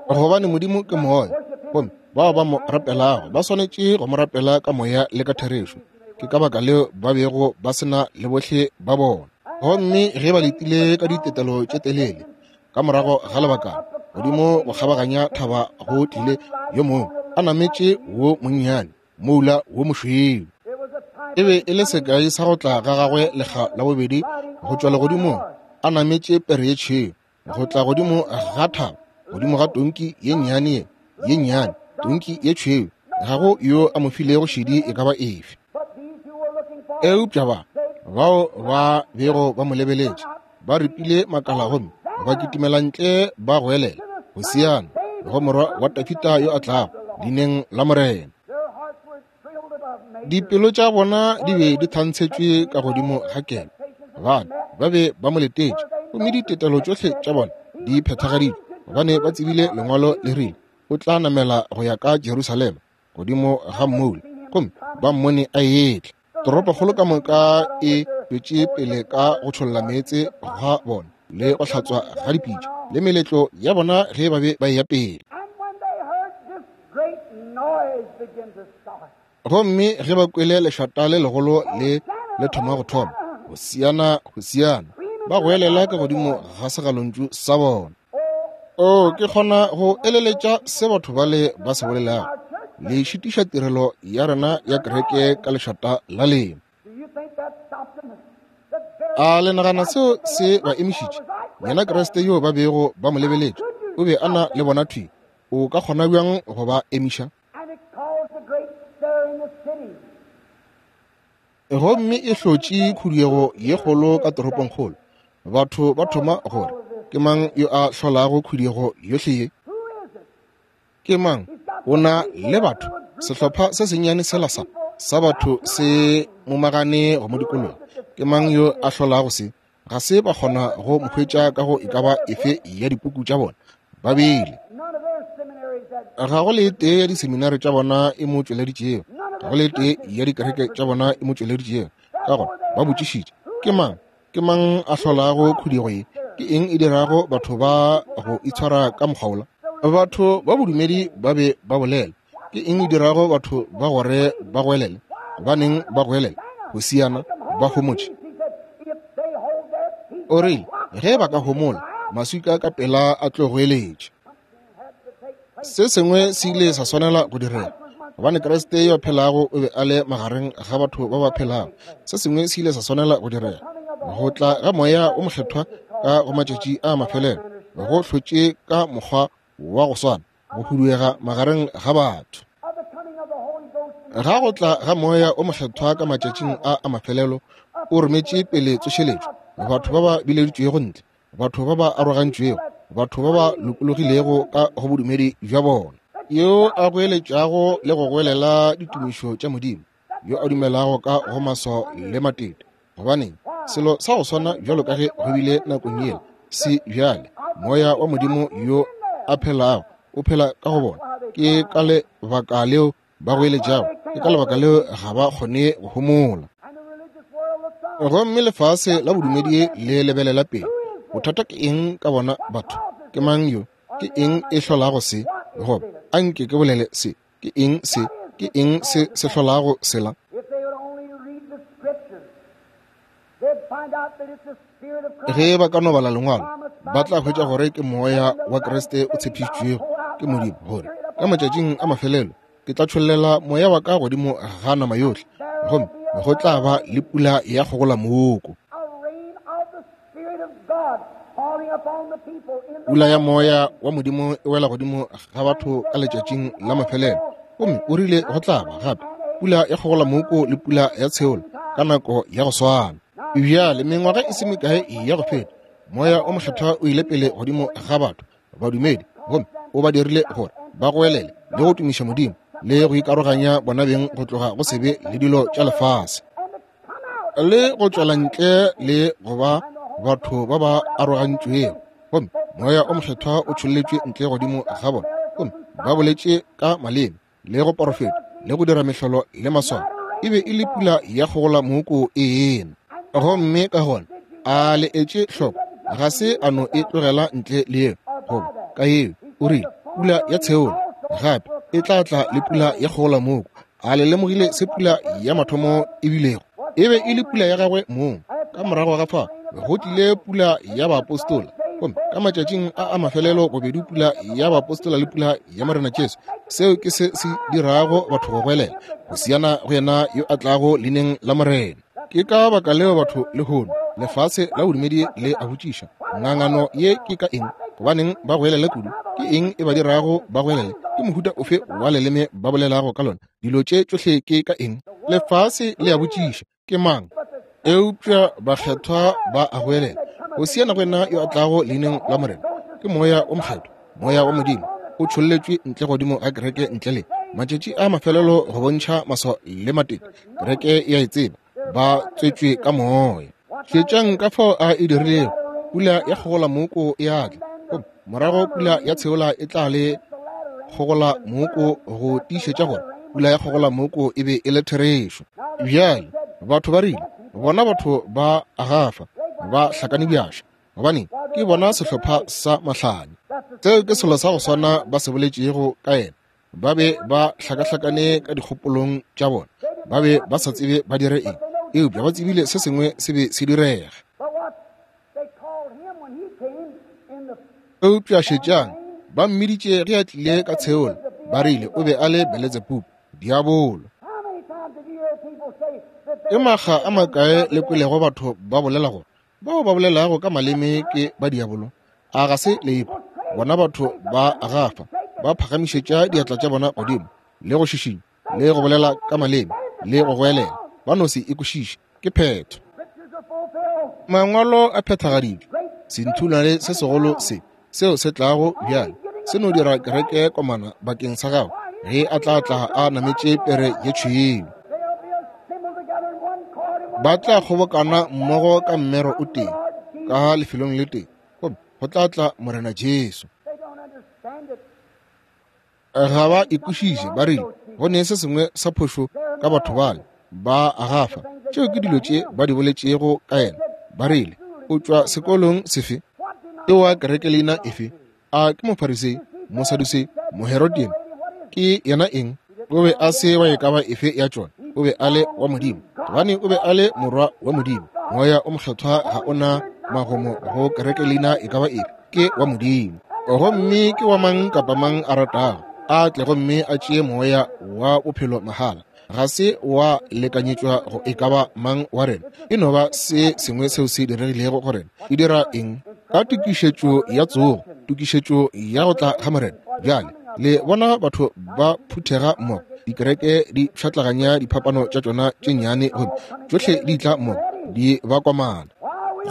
A: Gobane Modimo ke moya, gomme bao ba mo rapelago ba swanetše go mo rapela ka moya le ka therešo. Ke ka baka leo ba bego ba se na le bohle ba bona. Gomme ge ba letile ka ditetelo tše telele, ka morago ga lebakana, godimo go kgabaganya thaba go tlile yo mongwe a nametše wo monnyane moula wo mošweu. E be e le sekai sa go tla ga gagwe lekga la bobedi go tšwa legodimong, a nametše pere ye tšhweu, go tla godimo ga thaba, godimo ga tonki ye nnyane ye ye nnyane, tonki ye tšhweu. Ga go yo a mo filego šedi e ka ba efe. Eupša ba bao ba bego ba mo lebeletše ba ripile makala gomme ba kitimela ntle ba goelela, Hosiana go morwa wa Dafida yo a tlago leineng la Morena. Dipelo tša bona di be di thantshetšwe ka godimo ga kelo, gobane ba be ba mo letetše, gomme ditetelo tšohle tša bona di phethagaditšwe, gobane ba tsebile lengwalo le rile o tla namela go ya ka Jerusalema godimo ga mmoula, gomme ba mmone a etla. Toropokgolo ka moka e tšwetše pele ka go tšholla meetse ga bona le go hlatswa ga dipitša le meletlo ya bona ge ba be ba eya pele. Gomme ge ba kwele lešata le legolo le le thoma go thoma, Hosiana, Hosiana, ba goelela ka godimo ga segalontšu sa bona. O, ke kgona go eleletša se batho bale ba se bolelago. Le šitiša tirelo ya rena ya kereke ka lešata la lena. A le nagana seo se ba emišitše? Yena Kriste yo ba bego ba mo lebeletše, o be a na le bona thwi. O ka kgona bjang go ba emiša? Gomme e hlotše khuduego ye kgolo ka toropongkgolo. Batho ba thoma gore, ke mang yo a hlolago khuduego yohle ye? Ke mang? O na le batho. Sehlopha se sennyane sela sa sa batho se momagane go mo dikologa. Ke mang yo a hlolago se? Ga se ba kgona go mo hwetša ka go e ka ba efe ya dipuku tša bona. Ba bile. Ga go le tee ya diseminari tša bona e mo tšweleditšego. Ga go le tee ya dikereke tša bona e mo tšweleditšego. Ka gona ba botšišitše, ke mang? Ke mang a hlolago khuduego ye? Ke eng e dirago batho ba go itshwara ka mokgwa wola? Batho ba bodumedi ba be ba bolela. Ke eng e dirago batho ba gore ba goelele? Gobaneng ba goelele? Hosiana, ba homotše. O rile, ge ba ka homola, maswika ka pela a tlo goeletša. Se sengwe se ile sa swanela go direga, gobane Kriste yo a phelago o be a le magareng ga batho ba ba phelago. Se sengwe se ile sa swanela go direga. Go tla ga Moya o Mokgethwa ka go matšatši a mafelelo go hlotše ka mokgwa wa go swana go huduega magareng ga batho. Ga go tla ga Moya o Mokgethwa ka matšatšing a a mafelelo o rometše pele tsošeletšo, batho ba ba bileditšwego ntle, batho ba ba arogantšwego, batho ba ba lokologilego ka go bodumedi bja bona, yo a goeletšago le go goelela ditumišo tša Modimo, yo a dumelago ka go maswao le matete. Gobaneng, selo sa go swana bjalo ka ge go bile nakong yela se bjale. Moya wa Modimo yo a phelago o phela ka go bona. Ke ka lebaka leo ba goeletšago, ke ka lebaka leo ga ba kgone go homola. Gomme lefase la bodumedi le lebelela pele. Bothata ke eng ka bona batho? Ke mang yo? Ke eng e hlolago se? Goba anke ke bolele se. Ke eng se? Ke eng se se hlolago sela? Ge ba ka no bala lengwalo, ba tla hwetša gore ke Moya wa Kriste o tshepišitšwego ke Modimo, gore ka matšatšing a mafelelo ke tla tšhollela Moya wa ka godimo ga nama yohle, gomme go tla ba le pula ya kgogolamoko. Pula ya Moya wa Modimo e wela godimo ga batho ka letšatšing la mafelelo, gomme o rile go tla ba gape pula ya kgogolamoko le pula ya tsheolo ka nako ya go swana. Bjale mengwaga e se mekae ya go feta, Moya o Mokgethwa o ile pele godimo ga batho badumedi, gomme o ba dirile gore ba goelele le go tumiša Modimo le go ikaroganya bona beng go tloga go sebe le dilo tša lefase, le go tšwela ntle le go ba batho ba ba arogantšwego. Gomme Moya o Mokgethwa o tšholletšwe ntle godimo ga bona, gomme ba boletše ka maleme le go porofeta le go dira mehlolo le maswao. E be e le pula ya kgogolamoko e ena. Gomme ka gona a le etše hloko, ga se a no e tlogela ntle le yeo, goba ka yeo o rile pula ya tsheolo gape e tla tla le pula ya kgogolamoko. A le lemogile se pula ya mathomo e bilego? E be e le pula ya gagwe mong. Ka morago ga fa go tlile pula ya baapostola, gomme ka matšatšing a a mafelelo bobedi pula ya baapostola le pula ya Morena Jesu. Seo ke se se dirago batho go goelela Hosiana go yena yo a tlago leineng la Morena. Ke ka baka leo batho lehono lefase la bodumedi le a botšiša, ngangano ye ke ka eng? Gobaneng ba goelele kudu? Ke eng e ba dirago ba goelele? Ke mohuta ofe wa leleme ba bolelago ka lona? Dilo tše tšohle ke ka eng? Lefase le a botšiša, ke mang? Eupša bakgethwa ba a goelela Hosiana go yena yo a tlago leineng la Morena. Ke Moya o Mokgethwa, Moya wa Modimo o tšholletšwe ntle godimo ga kereke ntle le matšatši a mafelelo go bontšha maswao le matete. Kereke ya e tseba, ba tswetšwe ka Moya. Šetšang ka fao a e dirilego. Pula ya kgogolamoko e a tla, gomme morago pula ya tsheola e tla le kgogolamoko go tiišetša gore pula ya kgogolamoko e be e le therešo. Bjale batho ba rile, bona batho ba agafa ba hlakane bjaša, gobane ke bona sehlopha sa mahlanya. Seo ke selo sa go swana ba se boletšego ka yena. Ba be ba hlakahlakane ka dikgopolong tša bona, ba be ba sa tsebe ba dire eng, eupša ba tsebile se sengwe se be se direga. Eupša šetšang, ba mmiditše ge a tlile ka tsheolo, ba rile o be a le Beletsebubu, diabolo. Ke makga a makae le kwelego batho ba bolela gore bao ba bolelago ka maleme ke ba diabolo? A ga se lepo? Bona batho ba gafa, ba phagamišetša diatla tša bona godimo, le go šišinya, le go bolela ka maleme, le go goelela. Ba no se ikwešiše. Ke phetho. Mangwalo a phethagaditšwe. Senthulane se segolo se, seo se tlago bjale, se no dira kereke komana bakeng sa gago ge a tla tla a nametše pere ye tšhweu. Ba tla kgobokana mmogo ka mmero o tee, ka lefelong le tee, gomme go tla tla Morena Jesu. Ga ba ikwešiše, ba rile go ne se sengwe sa phošo ka batho bale ba gafa. Tšeo ke dilo tše ba di boletšego ka yena. Ba rile o tšwa sekolong sefe? E wa kereke leina efe? A ke Mofarisei, Mosadusei, Moherodian? Ke yena eng? O be a se wa e ka ba efe ya tšona. O be a le wa Modimo, gobane o be a le morwa wa Modimo. Moya o Mokgethwa ga o na magomo go kereke leina e ka ba efe. Ke wa Modimo. Gomme ke wa mang kapa mang a ratago, a tle gomme a tšee moya wa bophelo mahala. Ga se wa lekanyetšwa go e ka ba mang wa rena. E no ba se sengwe seo se diregilego go rena. E dira eng? Ka tokišetšo ya tsogo, tokišetšo ya go tla ga Morena. Bjale le bona batho ba phuthega mmogo, dikereke di pšhatlaganya diphapano tša tšona tše nnyane, gomme tšohle di tla mmogo, di ba komana.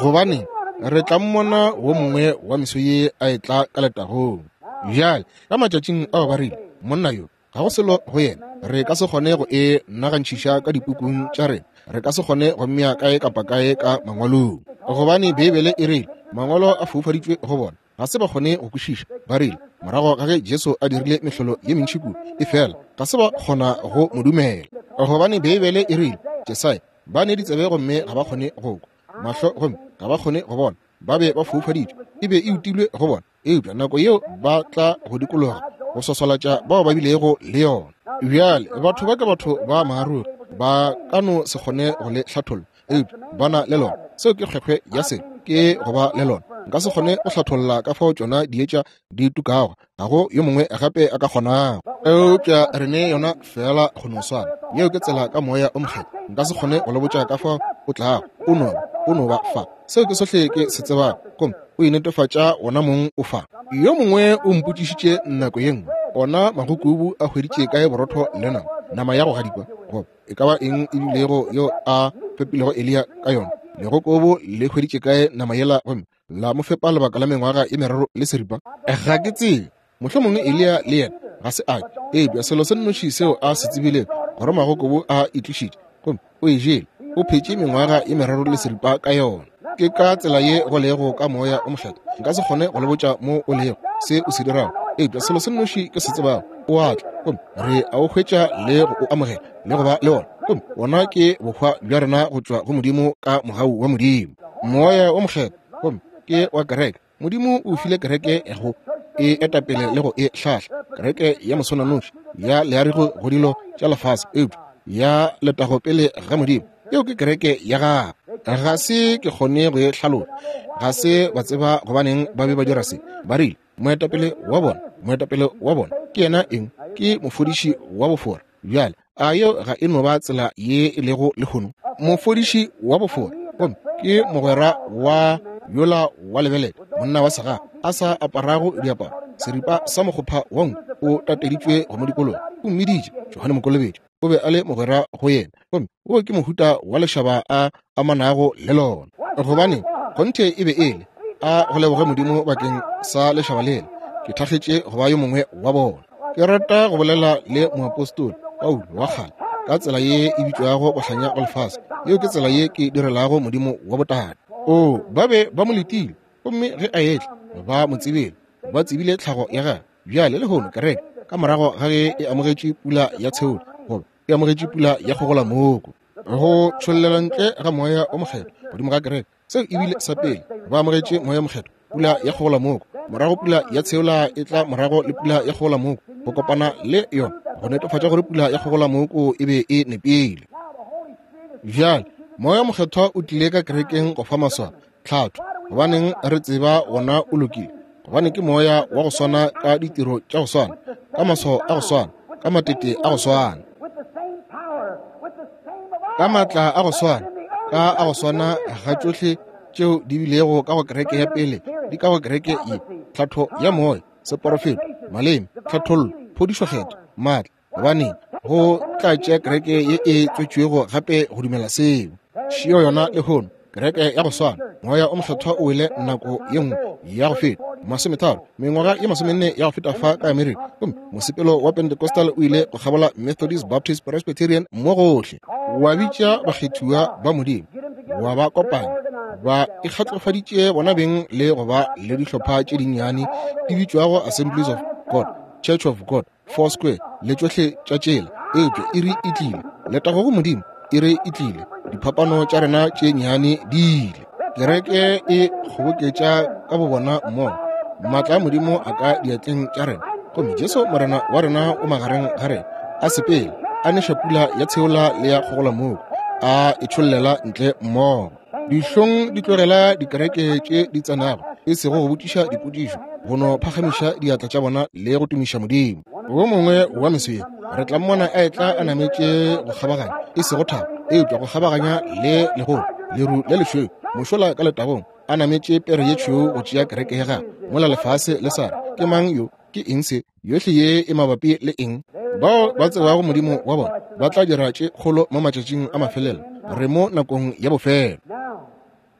A: Gobane re tla mmona wo mongwe wa meso ye a e tla ka letagong. Bjale ka matšatšing ao ba rile, monna yo ga go selo go yena, re ka se kgone go e nagantšhiša ka dipukung tša rena, re ka se kgone go mmea kae kapa kae ka mangwalong, gobane Beibele e rile mangwalo a foufaditšwe go bona, ga se ba kgone go kwešiša. Ba rile morago ga ge Jesu a dirile mehlolo ye mentši kudu, efela ga se ba kgona go mo dumela, gobane Beibele e rile Jesaya ba ne ditsebe gomme ga ba kgone go kwa, mahlo gomme ga ba kgone go bona, ba be ba foufaditšwe, e be e utilwe go bona. Eupša nako yeo ba tla go dikologa go swaswalatša bao ba bilego le yona. Bjale batho ba ke batho ba maaruri, ba ka no se kgone go le hlatholla, eupša ba na le lona. Seo ke kgwekgwe ya se, ke go ba le lona. Nka se kgone go hlatholla ka fao tšona dietša di tukago, ga go yo mongwe gape a ka kgonago, eupša re ne yona fela go no swana. Yeo ke tsela ka moya o Mokgethwa. Nka se kgone go le botša ka fao o tlago, o no o no ba fa. Seo ke sohle ke se tsebago, gomme o inetefatša wona mong o fa. Yo mongwe o mpotšišitše nako ye nngwe, ona magokubu a hweditše kae borotho le nama, nama ya go gadikwa, goba e ka ba eng e bilego yo a fepilego Eliya ka yona? Legokobo le hweditše kae nama yela gomme la mo fepa lebaka la mengwaga e meraro le seripa? Ga ke tsebe. Mohlomongwe Eliya le yena ga se a ke, eupša selo se nnoši seo a se tsebilego gore magokobo a itlišitše, gomme o e jele, o phetše mengwaga e meraro le seripa ka yona. Ke ka tsela ye go lego ka moya o Mokgethwa. Nka se kgone go le botša mo o lego, se o se dirago, eupša selo se nnoši ke se tsebago, o a tla, gomme re a o hwetša le go o amogela le go ba le ona, gomme wona ke bohwa bja rena go tšwa go Modimo ka mogau wa Modimo. Moya o Mokgethwa gomme ke wa kereke. Modimo o file kereke go e etapele le go e hlahla, kereke ya moswananoši ya learigo go dilo tša lefase, eupša ya letago pele ga Modimo. Yeo ke kereke ya gagwe. Ga se ke kgone go e hlaloša, ga se ba tseba gobaneng ba be ba dira se. Ba rile moetapele wa bona, moetapele wa bona ke yena eng? Ke mofodiši wa bofora. Bjale a yeo ga e no ba tsela ye e lego lehono? Mofodiši wa bofora, gomme ke mogwera wa yola wa lebelele, monna wa segaga a sa aparago diaparo, seripa sa mokgopha wa nku o tateditšwe go mo dikologa. O mmiditše Johane Mokolobetši, o be a le mogwera go yena, gomme wo ke mohuta wa lešaba a amanago le lona. Gobane kgonthe e be e le a go leboge Modimo bakeng sa lešaba lela. Ke thakgetše go ba yo mongwe wa bona. Ke rata go bolela le moapostola Paulo wa kgale ka tsela ye e bitšwago bohlanya go lefase. Yeo ke tsela ye ke direlago Modimo wa botate. O ba be ba mo letile, gomme ge a etla ba mo tsebile, ba tsebile tlhago ya gagwe. Bjale lehono kereke ka morago ga ge e amogetše pula ya tsheolo, goba e amogetše pula ya kgogolamoko, go tšhollela ntle ga moya o Mokgethwa godimo ga kereke, seo e bile sa pele. Ba amogetše moya Mokgethwa, pula ya kgogolamoko, morago pula ya tsheola e tla morago le pula ya kgogolamoko go kopana le yona go netefatša gore pula ya kgogolamoko e be e nepile. Bjale moya Mokgethwa o tlile ka kerekeng go fa maswao, tlhatho, gobaneng re tseba wona o lokile, gobane ke moya wa go swana ka ditiro tša go swana, ka maswao a go swana, ka matete a go swana, ka maatla a go swana, ka a go swana ga tšohle tšeo di bilego ka go kereke ya pele di ka go kereke ye. Tlhatho ya moya, seporofeto, maleme, tlhathollo, phodišokgetho, maatla. Gobane go tla tšea kereke ye e tswetšwego gape go dumela seo. Šio yona lehono, kereke ya go swana. Moya o mokgethwa o wele nako ye nngwe ya go feta masometharo, mengwaga ye masomenne ya go feta fa ka Amerika, gomme mosepelo wa Pentecostal o ile go kgabola Methodist, Baptist, Presbyterian mo gohle, wa bitša bakgethiwa ba Modimo, wa ba kopanya, ba ikgatlofaditše bona beng le go ba le dihlopha tše dinnyane di bitšwago Assemblies of God, Church of God, Four Square le tšohle tša tšela. Eupša iri e tlile, letago go Modimo, iri e tlile, diphapano tša rena tše nnyane di ile. Kereke e kgoboketša ka bobona mmogo, maatla a Modimo a ka diatleng tša rena, gomme Jesu Morena wa rena o magareng ga rena, a sepela, a neša pula ya tsheola le ya kgogolamoko, a e tšhollela ntle mmogo. Dihlong di tlogela dikereke tše di tsenago, e sego go botšiša dipotšišo, go no phagamiša diatla tša bona le go tumiša Modimo. Wo mongwe wa meswe re tla mmona a etla a nametše go kgabaganya, e sego thaba, eupša go kgabaganya le legolo, leru le lešweu, mošola ka letagong, a nametše pere ye tšhweu go tšea kereke ya gagwe. Mola lefase le sa re, ke mang yo? Ke eng se? Yohle ye e mabapi le eng? Bao ba tsebago Modimo wa bona ba tla dira tše kgolo mo matšatšing a mafelelo. Re mo nakong ya bofelo.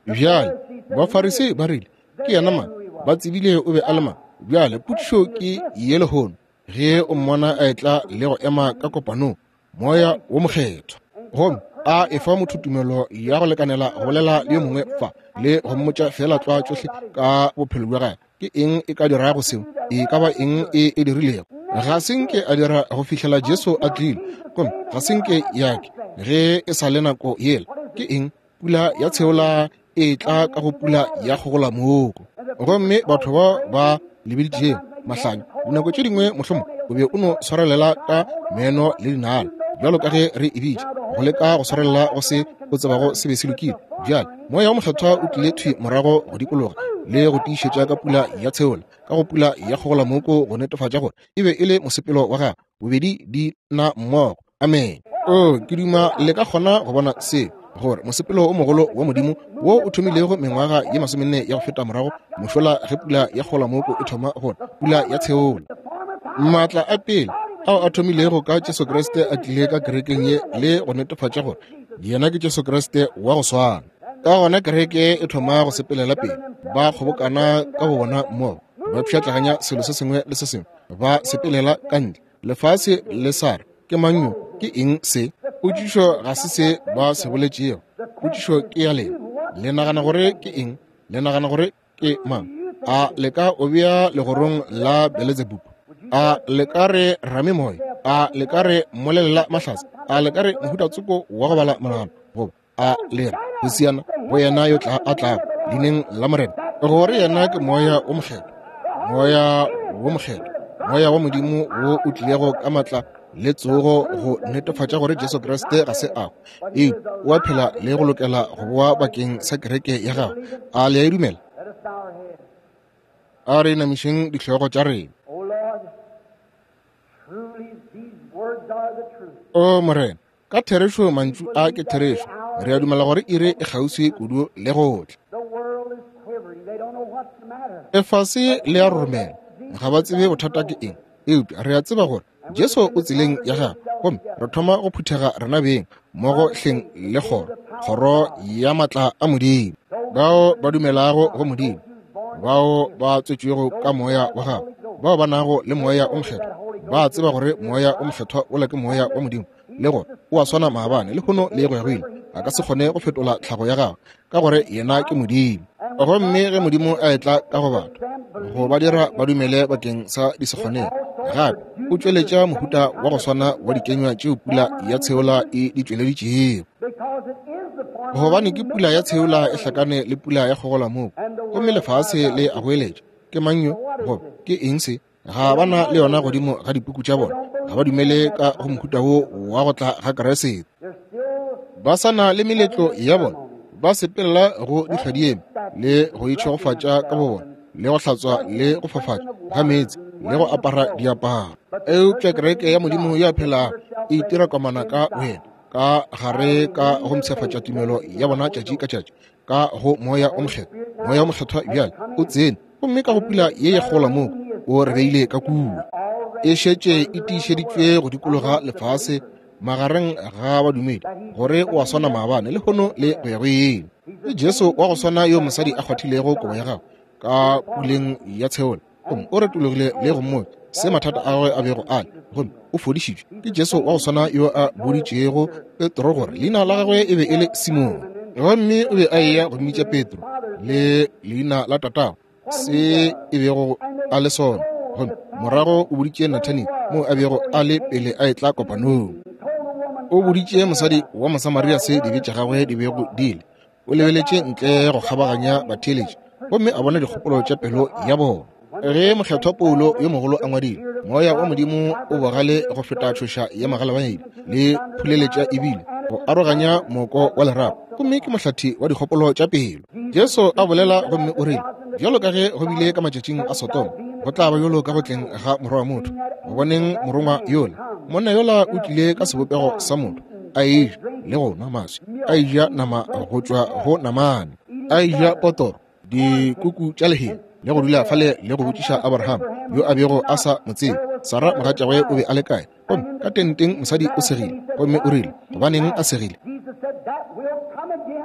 A: Bjale Bafarisei ba rile, ke yena mang? Ba tsebile o be a le mang. Bjale potšišo ke ye lehono, ge o mmona a etla le go ema ka kopanong, Moya wo Mokgethwa, gomme a efa motho tumelo ya go lekanela go bolela le yo mongwe fa le go mmotša fela tlwa tšohle ka bophelo bja gagwe, ke eng e ka dirago seo? E ka ba eng e e dirilego? Ga se nke a dira go fihlela Jesu a tlile, gomme ga se nke yake ge e sa le nako yela. Ke eng? Pula ya tsheola e tla ka go pula ya kgogolamoko. Gomme batho bao ba lebeditšego mahlanya dinako tše dingwe mohlomong o be o no swarelela ka meno le dinala, bjalo ka ge re e bitša, go leka go swarelela go se o tsebago se be se lokile. Bjale moya wa mokgethwa o tlile thwi morago go dikologa le go tiišetša ka pula ya tsheola, ka go pula ya kgogolamoko, go netefatša gore e be e le mosepelo wa gagwe. Bobedi di na mmogo. Amen. O ke duma le ka kgona go bona se, gore mosepelo o mogolo wa Modimo wo o thomilego mengwaga ye masomenne ya go feta morago mošola ge pula ya kgogolamoko e thoma gona, pula ya tsheola, maatla a pele ao a thomilego ka Jesu Kriste a tlile ka kerekeng ye le go netefatša gore yena ke Jesu Kriste wa go swana. Ka gona kereke e thoma go sepelela pele, ba kgobokana ka go bona mmogo, ba pšhatlaganya selo se sengwe le se sengwe, ba sepelela ka ntle. Lefase le sa re, ke mang yo? Ke eng se? Potšišo ga se se ba se boletšego, potšišo ke ya lena. Le nagana gore ke eng? Le nagana gore ke mang? A le ka o bea legorong la Beelzebub? A le ka re ramemoya? A le ka re mmolelela mahlatse? A le ka re mohuta tsoko wa go bala monagano? Goba a le re Hosiana go yena yo tla a tlago leineng la Morena, gore yena ke moya o mokgethwa, moya wo mokgethwa, moya wa Modimo wo o tlilego ka matla le tsogo go netefatša gore Jesu Kriste ga se a hwa, eupša o a phela le go lokela go boa bakeng sa kereke ya gagwe. A le a e dumela? A re inamišeng dihlogo tša rena. O Morena, ka therešo mantšu a ke therešo. Re a dumela gore iri e kgauswi kudu le go tla. Lefase le a roromela, ga ba tsebe bothata ke eng, eupša re a tseba gore Jesu o tseleng ya gagwe, gomme re thoma go phuthega rena beng mmogo hleng le kgoro, kgoro ya maatla a Modimo. Bao ba dumelago go Modimo, bao ba tswetšwego ka moya wa gagwe, bao ba nago le moya o mokgethwa, ba tseba gore moya o mokgethwa ola ke moya wa Modimo, le gore o a swana maabane, lehono le go ya go ile. A ka se kgone go fetola tlhago ya gagwe, ka gore yena ke Modimo. Gomme ge Modimo a etla ka go batho go ba dira ba dumele bakeng sa disekgoneng, gape o tšweletša mohuta wa go swana wa dikenywa tšeo pula ya tsheola e di tšweleditšego, gobane ke pula ya tsheola e hlakane le pula ya kgogolamoko, gomme lefase le a goeletša, ke mang yo? Goba ke eng se? Ga ba na le yona godimo ga dipuku tša bona. Ga ba dumele ka go mohuta wo wa go tla ga Kriste. Ba sa na le meletlo ya bona, ba sepelela go dihladieme le go itšhegofatša ka bo bona le go hlatswa le go fafatša ga meetse le go apara diaparo. Eupša kereke ya Modimo ya phelago e itira komana ka wena ka gare ka go mpshafatša tumelo ya bona tšatši ka tšatši ka go Moya o Mokgethwa. Moya o Mokgethwa bjale o tsene gomme ka go pula ye ye kgola moo o re beile ka kua. E šetše e tiišeditšwe go dikologa lefase magareng ga badumedi gore o a swana maabane lehono le go ya go ile. Ke Jesu wa go swana yo mosadi a kgwathilego kobo ya gagwe ka puleng ya tsheola gomme o retologile le go mmotša se mathata a gagwe a bego a le, gomme o fodišitšwe. Ke Jesu wa go swana yo a boditšego Petro gore leina la gagwe e be e le Simone, gomme o be a eya go mmitša Petro le leina la tatago se e bego a le sona, gomme morago o boditše Nathaniel moo a bego a le pele a etla kopanong. O boditše mosadi wa Mosamaria se dibe tša gagwe di bego di le. O lebeletše ntle go kgabaganya batheeletši gomme a bona dikgopolo tša pelo ya bona. Ge mokgethwa Paulo yo mogolo a ngwadile, moya wa Modimo o bogale go feta tšhoša ya magalabaedi le phuleletša ebile go aroganya moko wa lerapo, gomme ke mohlathi wa dikgopolo tša pelo. Jesu a bolela gomme o rile, bjalo ka ge go bile ka matšatšing a Sodoma, go tla ba bjalo ka go tleng ga morwa wa motho. Go boneng morongwa yola, monna yola o tlile ka sebopego sa motho, a eja le go nwa maswi, a eja nama go tšwa go namane, a eja potoro, dikuku tša lehea, le go dula fale le go botšiša Abraham yo a bego a sa mo tsebe, Sara mogatšagwe o be a le kae. Gomme ka tenteng mosadi o segile, gomme o rile, gobaneng a segile?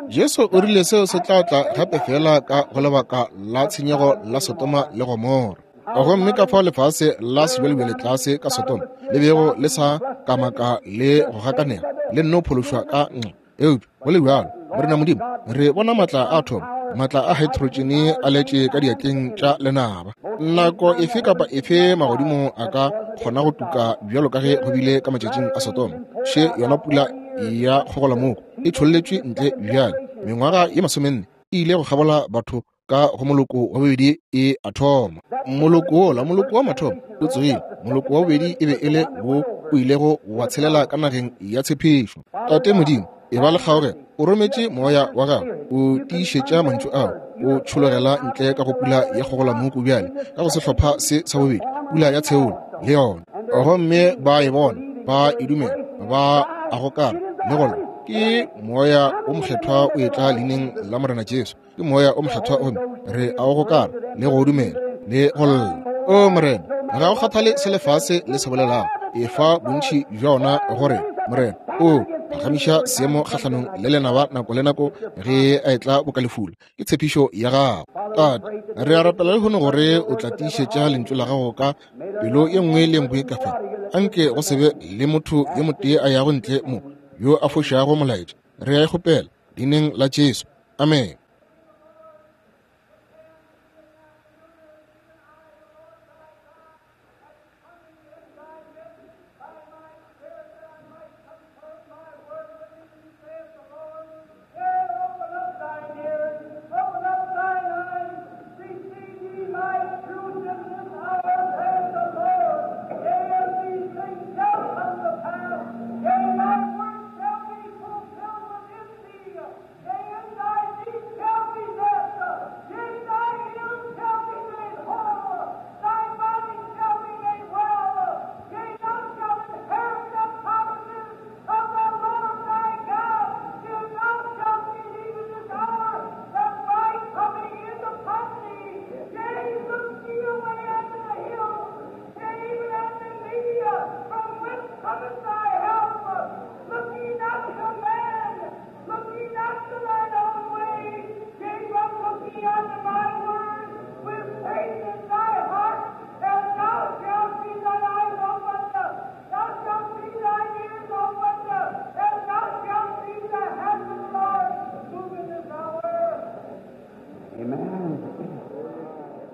A: Jesu o rile seo se tla tla gape fela ka go lebaka la tshenyego la Sodoma le Gomora. Gomme ka fao lefase la sebjalebjale tlase ka Sodoma le bego le sa kamaka le go gakanega le nno phološwa ka nqa. Eupša go le bjalo, Morena Modimo, re bona maatla a thomo, maatla a hydrogen a letše ka diatleng tša lenaba. Nako efe kapa efe magodimo a ka kgona go tuka bjalo ka ge go bile ka matšatšing a Sodoma. Še yona pula ya kgogolamoko e tšholletšwe ntle bjale. Mengwaga ye masomenne e ile go kgabola batho ka go moloko wa bobedi e a thoma. Moloko wola, moloko wa mathomo o tsogile. Moloko wa bobedi e be e le wo o ilego wa tshelela ka nageng ya tshepišo. Tate Modimo, e ba le kgaogelo, o rometše moya wa gago, o tiišetša mantšu ao, o tšhologela ntle ka go pula ya kgogolamoko bjale ka go sehlopha se sa bobedi, pula ya tsheolo le yona. Gomme ba e bona, ba e dumela, ba a gokara le go lla. Ke Moya o Mokgethwa o etla leineng la Morena Jesu. Ke Moya o Mokgethwa gomme re a o gokara le go dumela le go lla. O Morena, ga o kgathale se lefase le se bolelago, efa bontši bja ona gore Morena o phagamiša seemo kgahlanong le lenaba nako le nako ge a etla bokalefula. Ke tshepišo ya gago. Tate, re a rapela lehono gore o tla tiišetša lentšu la gago ka pelo ye nngwe le nngwe ka fa. Anke go se be le motho yo motee a yago ntle mo yo a fošago molaetša. Re a e kgopela leineng la Jesu. Amen.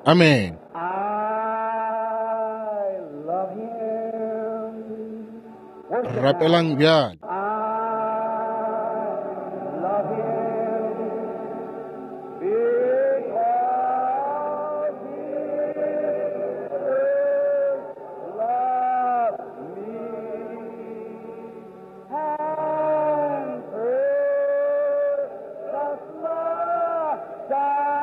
A: Amen.
B: I love him.
A: Rapelang bjale.
B: I love him because he first loved me and purchased my salvation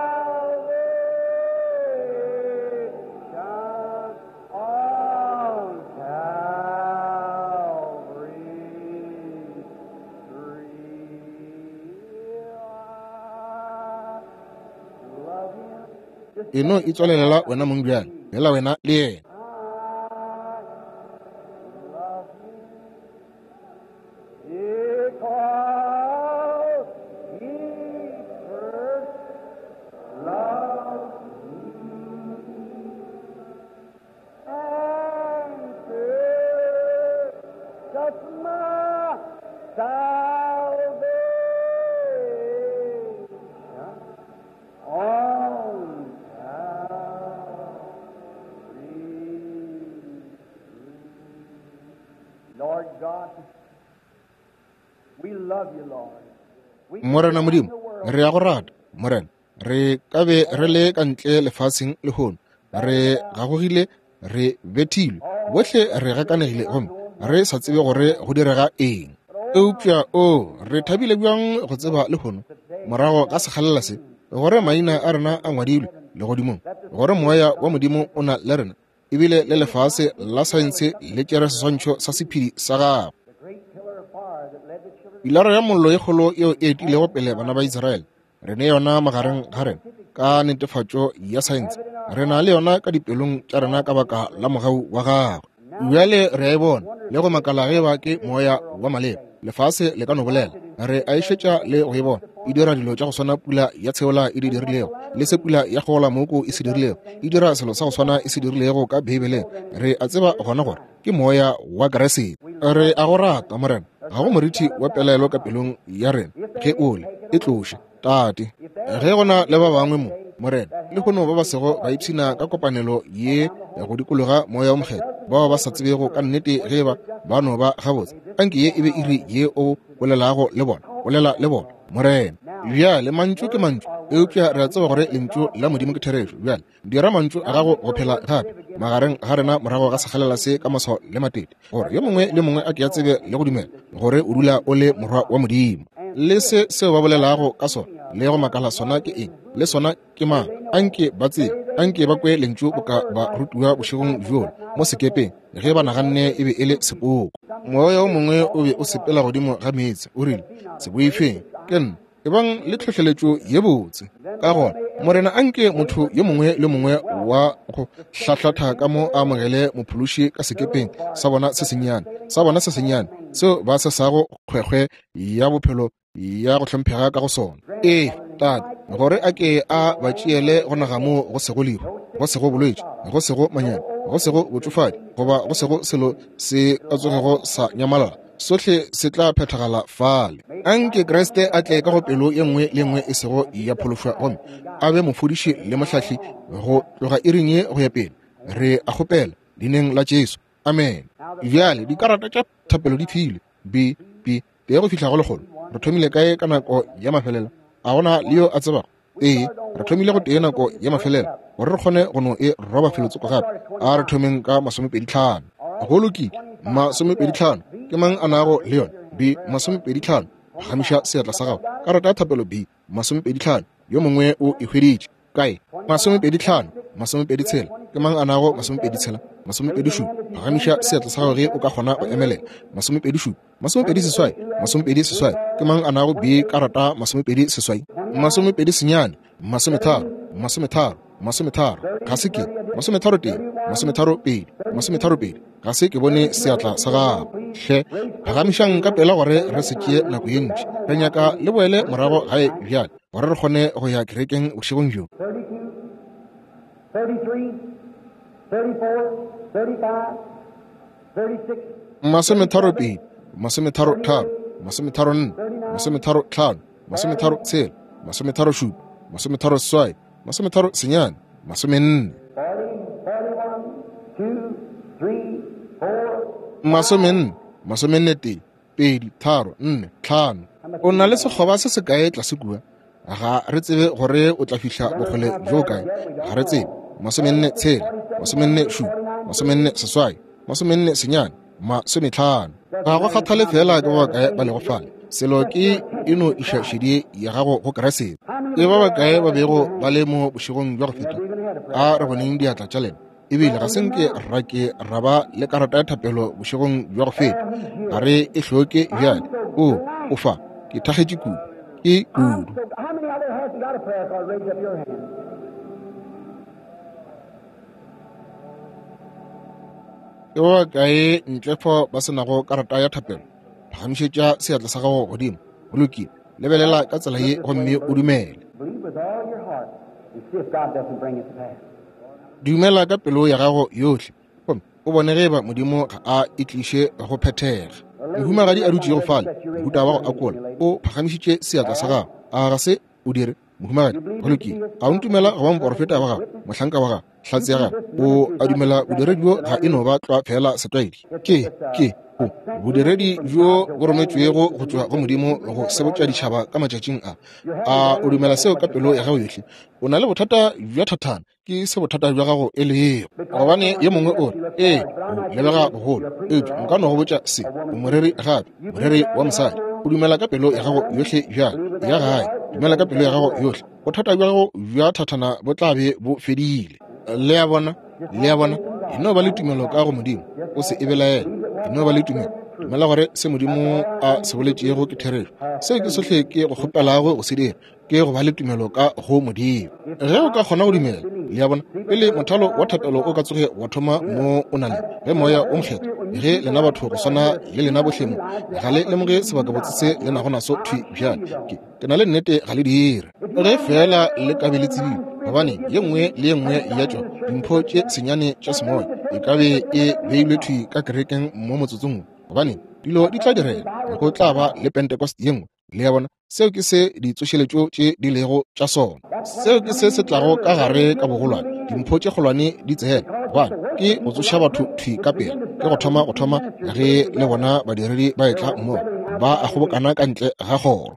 A: E no itswalelela wena mong bjale, fela wena le yena.
B: Because he first loved me and purchased my salvation on Calvary. Lord God, we love you, Lord. We
A: Morena Modimo, re a go rata, Morena. Re ka be re le ka ntle lefaseng lehono, re gagogile, re bethilwe, bohle re gakanegile gomme re sa tsebe gore go direga eng. Eupša o, re thabile bjang go tseba lehono, morago ga sekgalela se, gore maina a rena a ngwadilwe legodimong, gore moya wa Modimo o na le rena, ebile le lefase la saense le tšere seswantšho sa sephedi sa gagwe.
B: the great pillar of fire that led the children
A: Pilara ya mollo e kgolo yeo e etilego pele bana ba Israele, re ne yona magareng ga rena ka netefatšo ya saense. Re na le yona ka dipelong tša rena ka baka la mogau wa gagwe. Bjale re a e bona le go makala ge ba ke moya wa maleba. Lefase le ka no bolela, re a e šetša le go e bona e dira dilo tša go swana pula ya tsheola e di dirilego, le se pula ya gola moko e se dirilego, e dira selo sa go swana e se dirilego ka Beibeleng. Re a tseba gona gore ke moya wa Kriste. Re a go rata, Morena. Ga go morithi wa pelaelo ka pelong ya rena ge o le e tloše, Tate. Ge go na le ba bangwe mo, Morena, le lehono ba ba sego ba ipshina ka kopanelo ye go dikologa moya o mokgethwa, bao ba sa tsebego ka nnete ge ba ba no ba gabotse, anke ye e be iri ye o bolelago le bona, bolela le bona, Morena. Bjale mantšu ke mantšu, eupša re a tseba gore lentšu la Modimo ke therešo. Bjale dira mantšu a gago go phela gape magareng ga rena morago ga sekgalela se ka maswao le matete, gore yo mongwe le mongwe a ke a tsebe le go dumela gore o dula o le morwa wa Modimo. Le se seo ba bolelago ka sona le go makala sona ke eng, le sona ke mang, anke ba tsebe, anke ba kwe lentšu boka ba rutiwa bošegong bjola mo sekepeng ge ba naganne e be e le sepoko. Moya o mongwe o be o sepela godimo ga meetse, o rile, se boifeng, ke nna, ebang le tlhohleletšo ye botse. Ka gona, Morena, anke motho yo mongwe le mongwe wa go hlahlatha ka mo a amogele mophološi ka sekepeng sa bona se sennyane, sa bona se sennyane seo ba se sago kgwekgwe ya bophelo ya go hlomphega ka go sona. Ee, Tate, gore a ke a ba tšeele go naga moo go sego lehu, go sego bolwetši, go sego manyami, go sego botšofadi, goba go sego selo se ka tsogego sa nyamalala. Sohle se tla phethagala fale. Anke Kriste a tle ka go pelo ye nngwe le nngwe e sego ya phološwa, gomme a be mofodiši le mohlahli go tloga iring ye go ya pele. Re a kgopela leineng la Jesu, amen. Bjale dikarata tša thapelo di filwe B B tee go fihla go lekgolo. Re thomile kae ka nako ya mafelelo? A gona le yo a tsebago? Ee, re thomile go tee nako ya mafelelo gore re kgone go no e roba felotsoko gape. A re thomeng ka masomepedi tlhano. Go lokile, masomepedi tlhano. Ke mang a nago le yona? B masomepedi tlhano. Phagamiša seatla sa gago. Karata ya thapelo B masomepedi tlhano. Yo mongwe o e hweditše kae? Masomepedi tlhano, masomepedi tshela. Ke mang a nago masomepedi tshela? Masomepedi šupa. Phagamiša seatla sa gago ge o ka kgona go emelela. Masomepedi šupa, masomepedi seswai, masomepedi seswai. Ke mang a nago B karata masomepedi seswai? Masomepedi senyane, masometharo, masometharo, masometharo. Ga se ke masometharo tee, masometharo pedi, masometharo pedi. Ga se ke bone seatla sa gago. Hle, phagamišang ka pela gore re se tšee nako ye ntši. Re nyaka le boele morago gae bjale gore re kgone go ya kerekeng bošegong bjo.
B: thirty-two, thirty-three, thirty-four, thirty-five, thirty-six,
A: Masometharo pedi, masometharo tharo, masometharo nne, masometharo tlhano, masometharo tshela, masometharo šupa, masometharo seswai, masometharo senyane, masomenne.
B: forty, forty-one, two, three, four,
A: Masomenne, masomenne tee, pedi, tharo, nne, tlhano. O na le sekgoba se sekae tlase kua? Ga re tsebe gore o tla fihla bokgole bjo kae. Ga re tsebe. Masomenne tshela, masomenne šupa, masomenne seswai, masomenne senyane, masometlhano. Ga go kgathale fela ke ba bakae ba lego fale. Selo ke e no iša šedi ya gago go Kriste. Ke ba bakae ba bego ba le mo bošegong bja go feta? A re boneng diatla tša lena. Ebile ga se nke ra ke ra ba le karata ya thapelo bošegong bja go feta. Ga re e hloke bjale. O, o fa, ke thakgetše kudu. Ke kudu.
B: So how many out there hasn't got a prayer card? Raise up your hand.
A: Ke ba bakae ntle fao ba se nago karata ya thapelo? Phagamišetša seatla sa gago godimo. Go lokile. Lebelela ka tsela ye gomme o dumele. Dumela ka pelo ya gago yohle, gomme o bone ge eba Modimo ga a e tliše go phethega. Mohumagadi a dutšego fale, mohuta wa go akola, o phagamišitše seatla sa gago. A ga se o dire, mohumagadi? Go lokile. A o ntumela go ba moporofeta wa gago, mohlanka wa gago, hlatse ya gago? O a dumela bodiredi bjo ga e no ba tlwa fela setlwaedi? Ke, ke, o, bodiredi bjo bo rometšwego go tšwa go Modimo go sebotša ditšhaba ka matšatšing a. A o dumela seo ka pelo ya gago yohle? O na le bothata bja thathana, ke se bothata bja gago e lego. Gobane ye mongwe o re, ee, o lebega bogolo, eupša nka no go botša se, o moreri gape, moreri wa mosadi. O dumela ka pelo ya gago yohle bjale, ya gae, dumela ka pelo ya gago yohle. Bothata bja gago bja thathana bo tla be bo fedile. Le a bona? Le a bona? E no ba le tumelo ka go Modimo, o se e belaele. E no ba le tumelo. Dumela gore se Modimo a se boletšego ke therešo. Seo ke sohle ke go kgopelago go se dira, ke go ba le tumelo ka go Modimo. Ge o ka kgona go dumela, le a bona, pele mothalo wa thapelo o ka tsoge wa thoma mo o na le, ge Moya o Mokgethwa, ge lena batho go swana le lena bohle mo, ga le lemoge sebakabotse se le nago naso thwi bjale. Ke, ke na le nnete ga le dire. Ge fela le ka be le tsebile, gobane ye nngwe le ye nngwe ya tšona dimpho tše senyane tša semoya e ka be e beilwe thwi ka kerekeng mo motsotsong, gobane dilo di tla direga, go tla ba le Pentecost ye nngwe. Le a bona? Seo ke se ditsošeletšo tše di lego tša sona. Seo ke se se tlago ka gare ka bogolwane, dimpho tše kgolwane di tsena, gobane ke go tsoša batho thwi ka pele, ke go thoma go thoma ge le bona badiredi ba etla mmogo, ba a kgobokana ka ntle ga kgoro.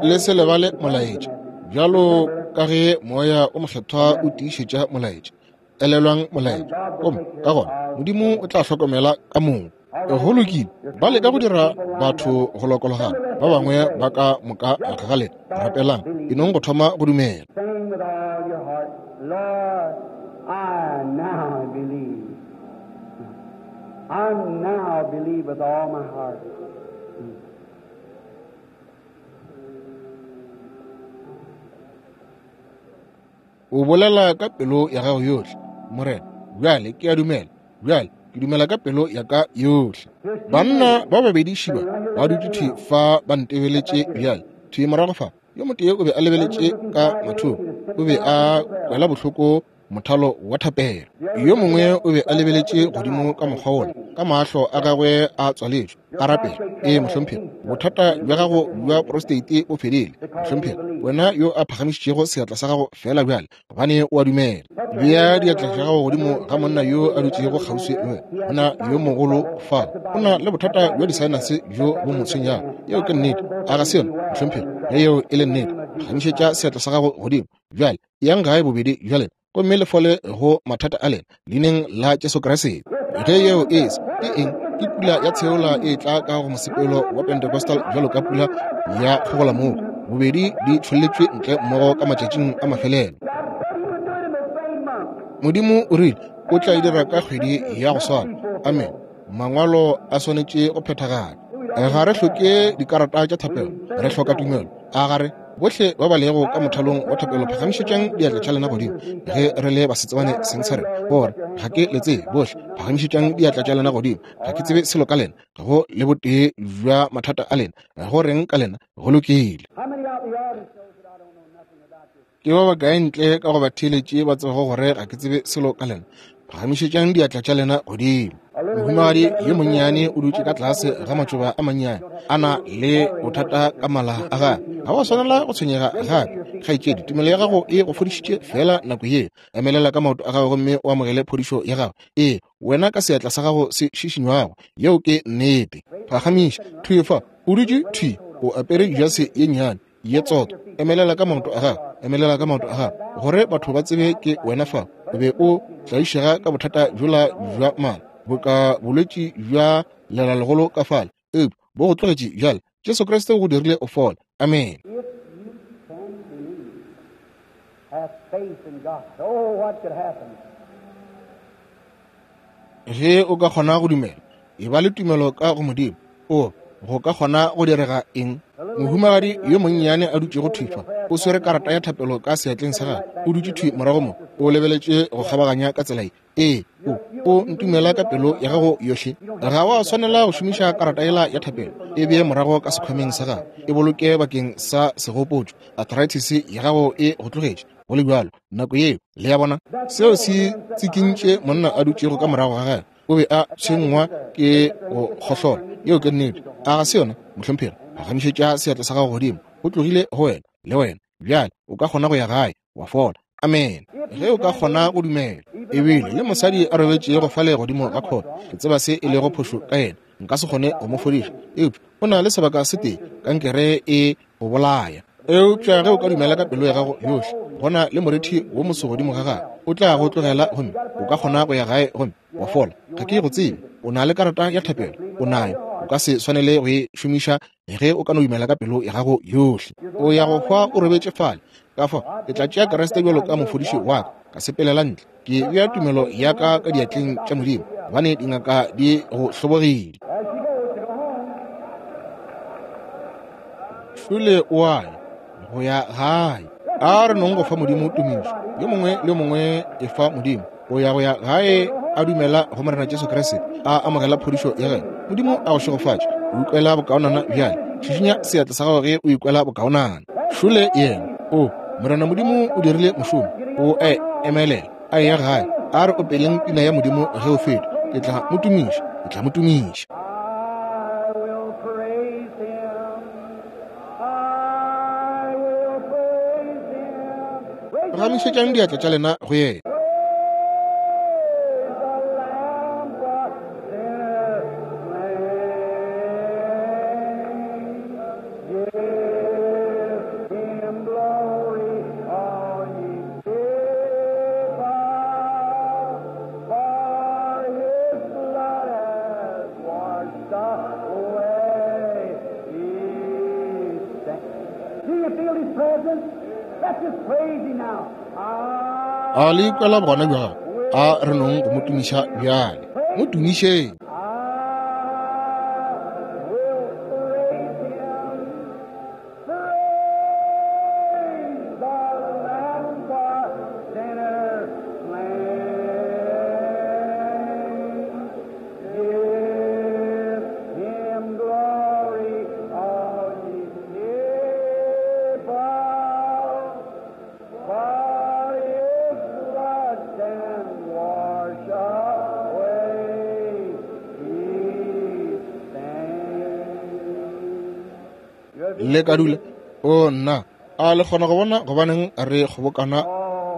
A: Le se lebale molaetša, bjalo ka ge Moya o Mokgethwa o tiišetša molaetša. Elelwang molaetša, gomme ka gona Modimo o tla hlokomela ka moka. Go lokile, ba leka go dira batho go lokologana, ba bangwe ba ka moka ga lena. Rapelang, e nong go thoma go dumela. O bolela ka pelo ya gago yohle, Morena, bjale ke a dumela, bjale ke dumela ka pelo ya ka yohle. Banna ba babedi šiba ba dutše thwi fa ba ntebeletše bjale, thwi morago fa. Yo motee o be a lebeletše ka mathoko, o be a kwela bohloko mothalo wa thapelo. Yo mongwe o be a lebeletše godimo ka mokgwa wola, ka mahlo a gagwe a tswaletšwe, a rapela. Ee, mohlomphegi, bothata bja gago bja prostate bo fedile, mohlomphegi, wena yo a phagamišitšego seatla sa gago fela bjale, gobane o a dumela. Bea diatla tša gago godimo ga monna yo a dutšego kgauswi le wena, monna yo mogolo fa, o na le bothata bja disaenase bjo bo mo tshwenyago. Yeo ke nnete, a ga se yona, mohlomphegi? Ge yeo e le nnete, phagamišetša seatla sa gago godimo bjale. Yang gae bobedi bja lena, gomme le fole go mathata a lena, leineng la Jesu Kriste. Ge yeo e se, ke eng? Ke pula ya tsheola e tla ka go mosepelo wa Pentecostal bjalo ka pula ya kgogolamooko, bobedi di tšholletšwe ntle mmogo ka matšatšing a mafelelo. Modimo o rile o tla e dira ka kgwedi ya go swana. Amen. Mangwalo a swanetše go phethagala. Ga re hloke dikarata tša thapelo, re hloka tumelo. A ga re? Bohle ba ba lego ka mothalong wa thapelo, phagamišetšang diatla tša lena godimo. Ge re le basetsebane seng sa rena, gore ga ke le tsebe, bohle phagamišetšang diatla tša lena godimo. Ga ke tsebe selo ka lena, go le botee bja mathata a lena, go reng ka lena, go lokile. Ke ba bakae ntle ka go ba theeletše ba tsebago gore ga ke tsebe selo ka lena? Phagamišetšang diatla tša lena godimo. Mohumagadi yo monnyane o dutše ka tlase ga matšoba a mannyane, a na le bothata ka mala a gagwe. Ga wa swanela go tshwenyega gape, kgaetšedi. Tumelo ya gago e go fodišitše fela nako yeo. Emelela ka maoto a gago gomme o amogele phodišo ya gago. Ee, wena ka seatla sa gago se šišinywago. Yeo ke nnete. Phagamiša thwi fa, o dutše thwi, o apere jase ye nnyane ye tsotho. Emelela ka maoto a gago, emelela ka maoto a gago, gore batho ba tsebe ke wena fa. O be o tlaišega ka bothata bjola bja mala, boka bolwetši bja lelalegolo ka fale, eupša bo go tlogetše bjale. Jesu Kriste o go dirile o fole. Amen. Ge o ka kgona go dumela, e ba le tumelo ka go Modimo, o go ka kgona go direga eng? Mohumagadi yo monnyane a dutšego thwi fa, o swere karata ya thapelo ka seatleng sa gagwe, o dutše thwi morago mo. O lebeletše go kgabaganya ka tsela ye. Ee, o, o ntumela ka pelo ya gago yohle. Ga wa swanela go šomiša karata yela ya thapelo. E bee morago ka sekhwameng sa gago. E boloke bakeng sa segopotšo. Arthritis ya gago e go tlogetše. Go le bjalo, nako yeo, le ya bona, seo se tsikintše monna a dutšego ka morago ga gagwe. O be a tshwenngwa ke go kgohlola. Yeo ke nnete. A ga se yona, mohlomphegi? Phagamišetša seatla sa gago godimo. O tlogile go wena, le wena. Bjale, o ka kgona go ya gae, wa fola. Amen. Ge o ka kgona go dumela. Ebile le mosadi a robetšego fale godimo ga khoto, ke tseba se e lego phošo ka yena. Nka se kgone go mo fodiša, eupša o na le sebaka se tee, kankere e go bolaya. Eupša ge o ka dumela ka pelo ya gago yohle, gona le morithi wo moso godimo ga gago o tla go tlogela, gomme o ka kgona go ya gae gomme wa fola. Ga ke go tsebe. O na le karata ya thapelo, o nayo. O ka se swanele go e šomiša ge o ka no dumela ka pelo ya gago yohle. O ya go hwa o robetše fale. Ka fao ke tla tšea Kriste bjalo ka mofodiši wa ka, ka sepelela ntle. Ke bea tumelo ya ka ka diatleng tša Modimo, gobane dingaka di go hlobogile. Šole o a ya go ya gae. A re nong go fa Modimo tumišo. Yo mongwe le yo mongwe e fa Modimo. O ya go ya gae a dumela go Morena Jesu Kriste, a amogela phodišo ya gagwe. Modimo a go šegofatše. O ikwela bokaonana bjale. Šišinya seatla sa gago ge o ikwela bokaonana. Šole yena. O, Morena Modimo o dirile mošomo. O a emelela, a eya gae. A re opeleng pina ya Modimo ge o feta. Ke tla mo tumiša, ke tla mo tumiša.
B: I will praise him. I will praise him. Praise
A: Phagamišetšang diatla tša lena go yena.
B: the Lamb for sinners slain. Give him glory, all ye people, for his blood has washed away his sin. Do you feel his presence? Let's just praise him now.
A: A le ikwela bogona bja gagwe? A re nong go mo tumiša bjale. Mo tumišeng.
B: I will praise him. Praise the Lamb for sinners slain. Give him glory, all ye people, for his blood can wash away his stain.
A: Le ka dula. O nna, a le kgona go bona gobaneng re kgobokana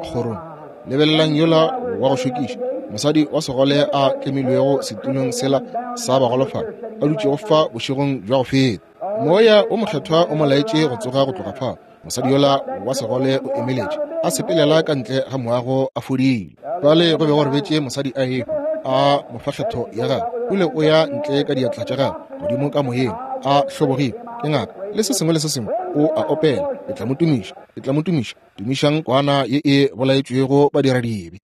A: kgorong? Lebelelang yola wa go šokiša, mosadi wa segole a tlemilwego setulong sela sa bagolofadi, a dutšego fa bošegong bja go feta. Moya o mokgethwa o mo laetše go tsoga go tloga fao. Mosadi yola wa segole o emeletše, a sepelela ka ntle ga moago a fodile. Fale go be go robetše mosadi a ehwa, a mo fa kgetho ya gagwe. O ile o ya ntle ka diatla tša gagwe godimo ka moyeng, a hlobogile ke ngaka le se sengwe le se sengwe. O a opela, ke tla mo tumiša, ke tla mo tumiša. Tumišang kwana ye e bolaetšwego badiradibe.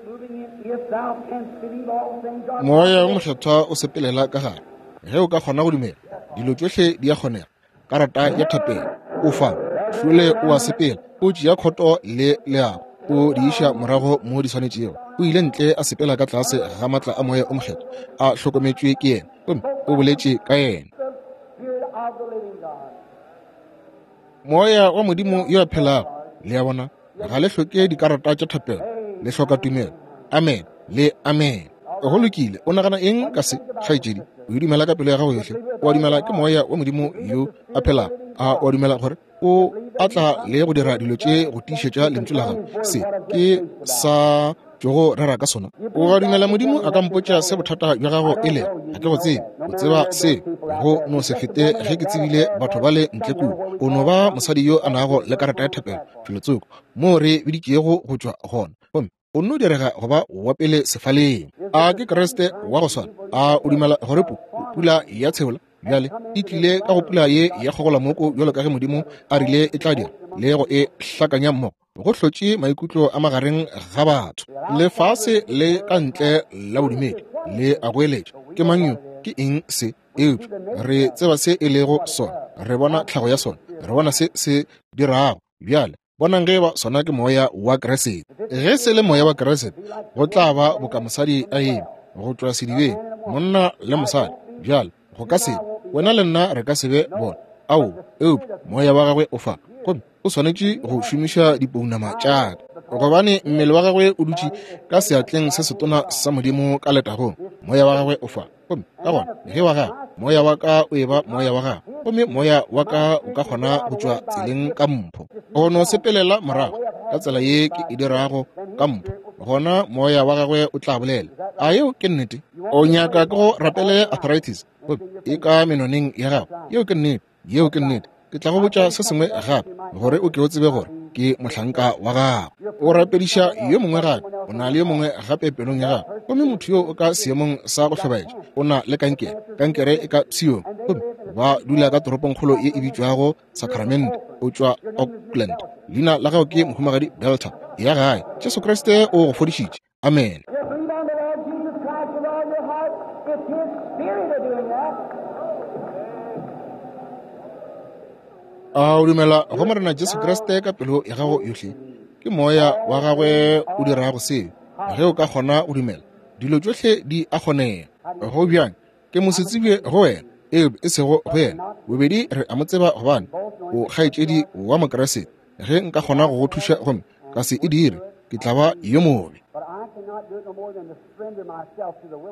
B: Moving in, if thou canst believe, all things are
A: Moya wo mokgethwa o sepelela ka gare. Ge o ka kgona go dumela, dilo tšohle di a kgonega. Karata ya thapelo o fa. Šole o a sepela, o tšea khoto le leago, o di iša morago mo di swanetšego. O ile ntle a sepela ka tlase ga matla a moya o mokgethwa, a hlokometšwe ke yena, gomme o boletše ka yena.
B: the Spirit of the living God.
A: Moya wa Modimo yo a phelago. Le a bona, ga le hloke dikarata tša thapelo, le hloka tumelo. Amen le amen. Go lokile. O nagana eng ka se, kgaetšedi? O e dumela ka pelo ya gago yohle? O a dumela ke moya wa Modimo yo a phelago? A o a dumela gore o a tla le go dira dilo tše go tiišetša lentšu la gagwe? Se ke sa tšogo rera ka sona. O a dumela Modimo a ka mpotša se bothata bja gago e lego? Ga ke go tsebe. O tseba se go no se fete ge ke tsebile batho ba le ntle kua. O no ba mosadi yo a nago le karata ya thapelo felotsoko moo re biditšego go tšwa gona, gomme o nno direga go ba wa pele sefaleng. A ke Kriste wa go swana? A o dumela gore pu pula ya tsheola bjale e tlile ka go pula ye ya kgogolamoko bjalo ka ge Modimo a rile e tla dira, le go e hlakanya mmogo? Go hlotše maikutlo a magareng ga batho. Lefase le ka ntle la bodumedi le a goeletša, ke mang yo? Ke eng se? Eupša re tseba se e lego sona, re bona tlhago ya sona, re bona se se dirago. Bjale Bonang ge ba sona ke moya wa Kriste. Ge se le moya wa Kriste, go tla ba boka mosadi a eme go tšwa sedibeng, monna le mosadi. Bjale go ka se wena le nna re ka se be bona. Ao, eupša moya wa gagwe o fa, gomme o swanetše go šomiša dipounama tša ka, gobane mmele wa gagwe o dutše ka seatleng se setona sa Modimo ka letagong. Moya wa gagwe o fa, gomme ka gona ge wa gagwe moya wa ka o eba moya wa gagwe, gomme moya wa ka o ka kgona go tšwa tseleng ka mpho, go no sepelela morago ka tsela ye ke e dirago ka mpho, gona moya wa gagwe o tla bolela. A yeo ke nnete? O nyaka ke go rapele arthritis, gomme e ka menoneng ya gago. Yeo ke nnete. Yeo ke nnete. Ke tla go botša se sengwe gape gore o ke o tsebe gore ke mohlanka wa gago. O rapediša yo mongwe gape, o na le yo mongwe gape pelong ya gago, gomme motho yo o ka seemong sa go hlobaetša, o na le kankere, kankere e ka pshiong, gomme ba dula ka toropongkgolo ye e bitšwago Sacramento. O tšwa Oakland. Leina la gago ke Mohumagadi Delta. Ya gae. Jesu Kriste o go fodišitše. Amen. A o dumela go Morena Jesu Kriste ka pelo ya gago yohle? Ke moya wa gagwe o dirago seo. Ge o ka kgona go dumela, dilo tšohle di a kgonega. Go bjang? Ke mosetsebje go wena, eupša e sego go yena. Bobedi re a mo tseba gobane o kgaetšedi wa Mokriste. Ge nka kgona go go thuša gomme ka se e dire, ke tla ba yo mobe.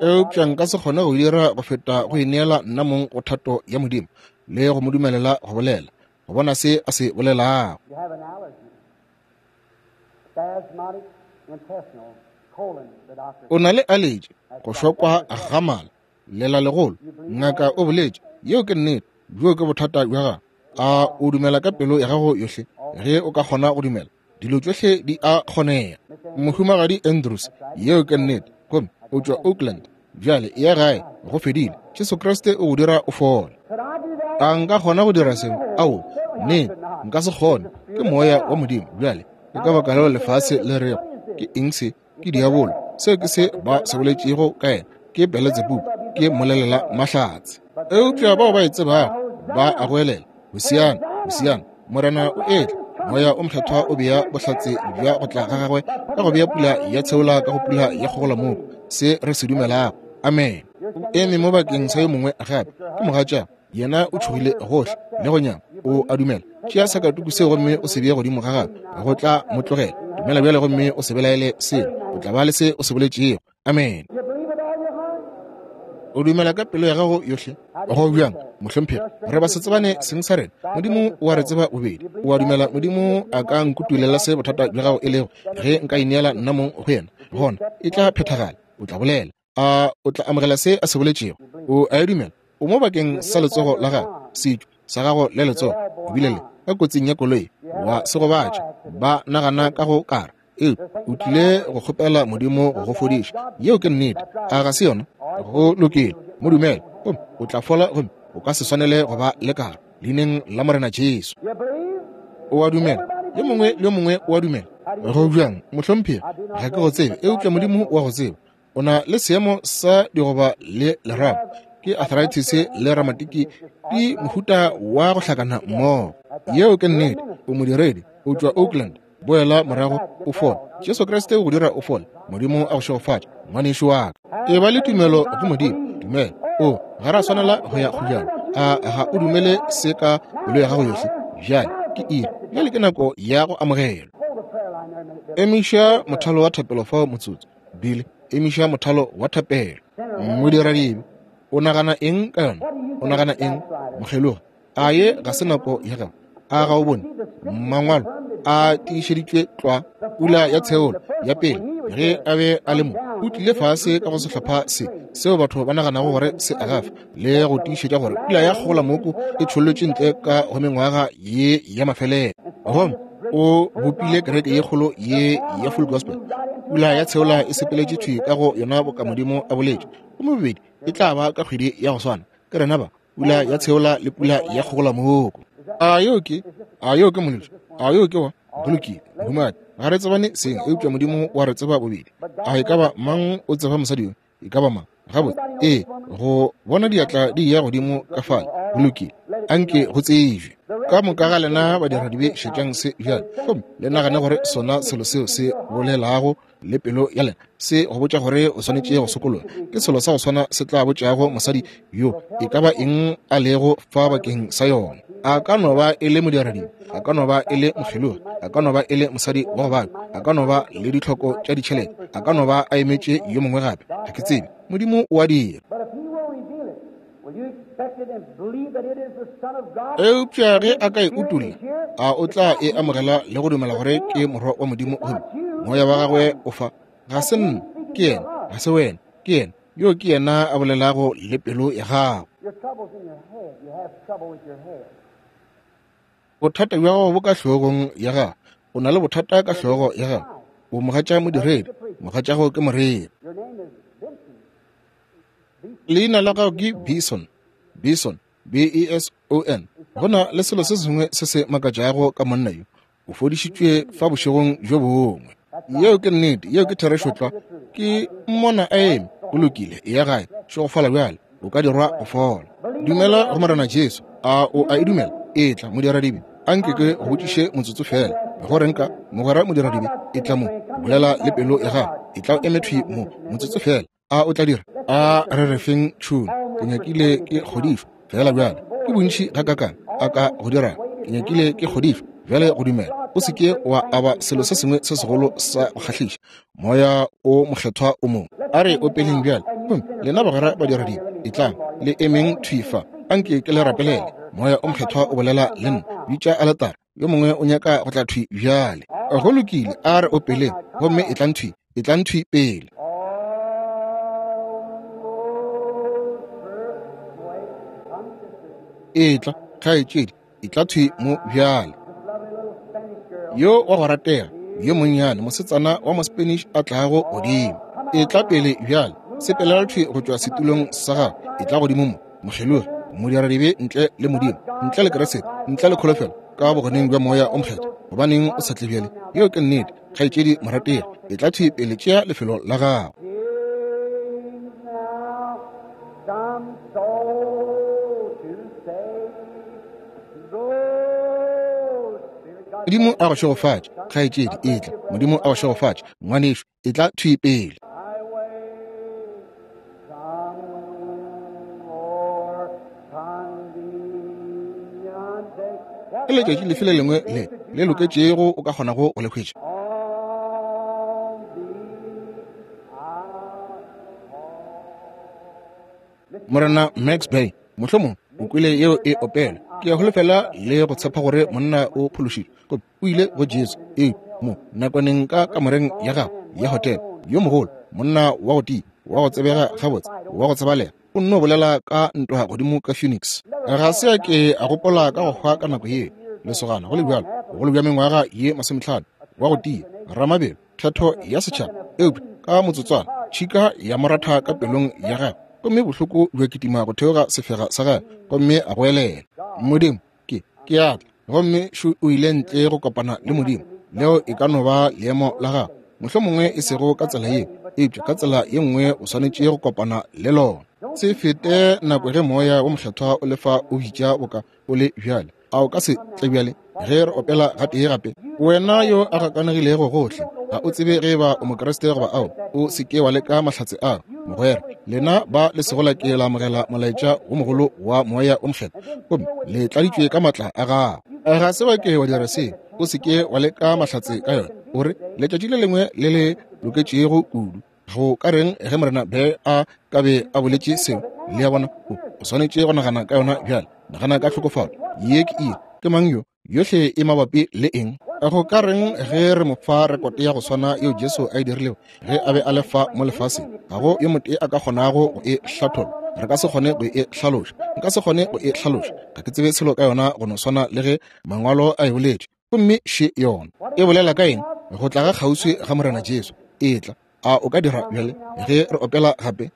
A: Eupša nka se kgone go dira go feta go ineela nna mong go thato ya Modimo le go mo dumelela go bolela, go bona se a se bolelago. O na le aletše, go šokwa ga mala, lela legolo. Ngaka o boletše, yeo ke nnete, bjoo ke bothata bja gago. A o dumela ka pelo ya gago yohle? Ge o ka kgona go dumela, dilo tšohle di a kgonega. Mohumagadi Andrews, yeo ke nnete, gomme o tšwa Oakland. Bjale ya gae, go fedile. Jesu Kriste o go dira o fole. A nka kgona go dira seo? Ao, nnete, nka se kgone. Ke moya wa Modimo. Bjale ke ka baka leo lefase le rego ke eng se? Ke diabolo. Seo ke se ba se boletšego ka yena. Ke Beletsebubu, ke molelela mahlatse. Eupša bao ba e tsebago ba a goelela, Hosiana, Hosiana, Morena o etla. Moya o mokgethwa o bea bohlatse bja go tla ga gagwe ka go bea pula ya tsheola ka go pula ya kgogolamoko, se re se dumelago. Amen. O eme mo bakeng sa yo mongwe gape, ke mogatša. Yena o tšhogile gohle le go nyama. O a dumela. Tšea sakatuku seo gomme o se bee godimo ga gagwe, go tla mo tlogela. Dumela bjale gomme o se belaele seo, o tla ba le se o se boletšego. Amen. O dumela ka pelo ya gago yohle? Go bjang, mohlomphegi? Re ba se tsebane seng sa rena. Modimo o a re tseba bobedi. O a dumela Modimo a ka nkutulela se bothata bja gago e lego? Ge nka ineela nna mong go yena, gona e tla phethagala. O tla bolela. A o tla amogela se a se boletšego? O a e dumela? O mo bakeng sa letsogo la gago, setšo sa gago le letsogo, o bile le ka kotsing ya koloi, wa se gobatša, ba nagana ka go kara. Ee, o tlile go kgopela Modimo go go fodiša. Yeo ke nnete. A ga se yona? Go lokile, mo dumele, gomme o tla fola, gomme o ka se swanele go ba le karo, leineng la Morena Jesu. O a dumela? Yo mongwe le yo mongwe o a dumela? Go bjang, mohlomphegi? Ga ke go tsebe, eupša Modimo o a go tseba. O na le seemo sa digoba le lerapo, ke arthritis le ramatiki, di mohuta wa go hlakana mmogo. Yeo ke nnete. O modiredi, o tšwa Oakland. Boela morago o fole. Jesu Kriste o go dira o fole. Modimo a go šegofatše, ngwanešu wa ka. E ba le tumelo go Modimo. Dumela. O ga ra swanela go ya kgojana. A ga o dumele se ka pelo ya gago yohle? Bjale ke iri. Bjale ke nako ya go amogelwa. Emiša mothalo wa thapelo fao motsotso. Bile, emiša mothalo wa thapelo. Modiradibe, o nagana eng ka yona? O nagana eng, mokgelogi? A ye ga se nako ya gago? A ga o bone mangwalo a tiišeditšwe tlwa? Pula ya tsheolo ya pele ge a be a le mo, o tlile fase ka go sehlopha se seo batho ba naganago gore se agafa, le go tiišetša gore pula ya kgogolamoko e tšhollotše ntle ka go mengwaga ye ya mafelelo. Gomme o bopile kereke ye kgolo ye ya full gospel. Pula ya tsheola e sepeletše thwi ka go yona boka Modimo a boletše, gomme bobedi e tla ba ka kgwedi ya go swana. Ke rena ba, pula ya tsheola le pula ya kgogolamoko. A yo ke, a yo ke molotši? A yo ke wa? Go lokile, mohumagadi. Ga re tsebane seng, eupša Modimo wa re tseba bobedi. A e ka ba mang o tseba mosadi yo? E ka ba mang? Gabotse, ee, go bona diatla di ya godimo ka fale. Go lokile. Anke go tsebje. Ka moka ga lena badiradibe šetšang se bjale, gomme le nagane gore sona selo seo se bolelago le pelo ya lena se go botša gore o swanetše go sokologa. Ke selo sa go swana se tla botšago mosadi yo e ka ba eng a lego fa bakeng sa yona. A ka no ba e le modiradibe, a ka no ba e le mokgelogi, a ka no ba e le mosadi wa go babja, a ka no ba le ditlhoko tša ditšhelete, a ka no ba a emetše yo mongwe gape. Ga ke tsebe. Modimo o a dira. Eupša ge a ka e utolla, a o tla e amogela le go dumela gore ke morwa wa Modimo gomme moya wa gagwe o fa? Ga se nna, ke yena. Ga se wena, ke yena. Yo ke yena a bolelago le pelo ya gago. Bothata bja gago bo ka hlogong ya gago. O na le bothata ka hlogo ya gago. O mogatša modiredi, mogatšago ke moreri. Leina la gago ke Bison, Bison, B E S O N. Go na le selo se sengwe se se makatšago ka monna yo. O fodišitšwe fa bošegong bjo bongwe. Yeo ke nnete, yeo ke therešo tlwa. Ke mmona a eme. Go lokile, eya gae, šegofala bjale, o ka dirwa go fola. Dumela go Morena Jesu. A o a e dumela? Etla, modiradibe. Anke ke go botšiše motsotso fela. Go reng ka mogwera modiradibe? Etla mo, bolela le pelo ya gago. Etla o eme thwi mo, motsotso fela. A o tla dira? A re re feng tšhune. Ke nyakile ke kgodišwa fela bjale. Ke bontši gakakang a ka go dira. Ke nyakile ke kgodišwa bjale go dumela. O se ke wa aba selo se sengwe se segolo sa go kgahliša. Moya o mokgethwa o mongwe. A re opeleng bjale. Gomme lena bagwera badiradibe, etlang le emeng thwi fa. Anke ke le rapelele. Moya o mokgethwa o bolela le nna. Bitša aletare. Yo mongwe o nyaka go tla thwi bjale. Go lokile, a re opeleng. Gomme etlang thwi, etlang thwi pele. Etla, kgaetšedi, etla thwi mo bjale. Yo wa go ratega, yo monnyane, mosetsana wa mo-Spanish a tlago godimo. Etla pele bjale, sepelela thwi go tšwa setulong sa gago. Etla godimo mo, mokgelogi, modiradibe ntle le Modimo, ntle le Kriste, ntle le kholofelo, ka bogoneng bja moya o mokgethwa. Gobaneng o sa tle bjale? Yeo ke nnete, kgaetšedi morategi. Etla thwi pele, tšea lefelo la gago. Modimo a go šegofatše, kgaetšedi, etla. Modimo a go šegofatše, ngwanešu, etla thwi pele. Ke letšatši lefe le lengwe le le loketšego o ka kgonago go le hwetša? Morena Max Bay, mohlomong o kwele yeo e opela. Ke a holofela le go tshepa gore monna o phološitšwe. O ile go Jesu ee mo nakwaneng ka kamoreng ya gagwe ya hotele. Yo mogolo, monna wa go tia, wa go tsebega gabotse, wa go tsebalega, o nno bolela ka ntwa godimo ka Phoenix. Ga se a ke a gopola ka go hwa ka nako yeo. Lesogana go le bjalo, bogolo bja mengwaga ye masomehlano, wa go tia, ramabelo, kgetho ya setšhaba. Eupša ka motsotswana tšhika ya moratha ka pelong ya gagwe, gomme bohloko bja kitima go theoga sefega sa gagwe, gomme a goelela, Modimo, ke ke a tla. Gomme šo o ile ntle go kopana le Modimo. Leo e ka no ba leemo la gago, mohlomongwe e sego ka tsela yeo, eupša ka tsela ye nngwe o swanetše go kopana le lona. Se fete nako ge moya wo mokgethwa o lefa o bitša boka o le bjale. A o ka se tle bjale ge re opela gatee gape? Wena yo a gakanegilego gohle, ga o tsebe ge ba o Mokriste goba ao, o se ke wa leka mahlatse ao. Mogwera, lena ba le sego la ke la amogela molaetša wo mogolo wa moya o mokgethwa, gomme le tladitšwe ka matla a gago. Ga se wa ke wa dira seo, o se ke wa leka mahlatse ka yona. O re letšatši le lengwe le le loketšego kudu. Go ka reng ge Morena be a ka be a boletše seo? Le a bona, o swanetše go nagana ka yona bjale. Nagana ka tlhokofalo. Ye ke eng? Ke mang yo? Yohle e mabapi le eng? Go ka reng ge re mo fa rekote ya go swana yeo Jesu a e dirilego ge a be a le fa mo lefaseng? Ga go yo motee a ka kgonago go e hlatholla. Re ka se kgone go e hlaloša. Nka se kgone go e hlaloša. Ga ke tsebe selo ka yona go no swana le ge mangwalo a e boletše. Gomme še yona e bolela ka eng? Go tla ga kgauswi ga Morena Jesu. Etla. A o ka dira bjale ge re opela gape?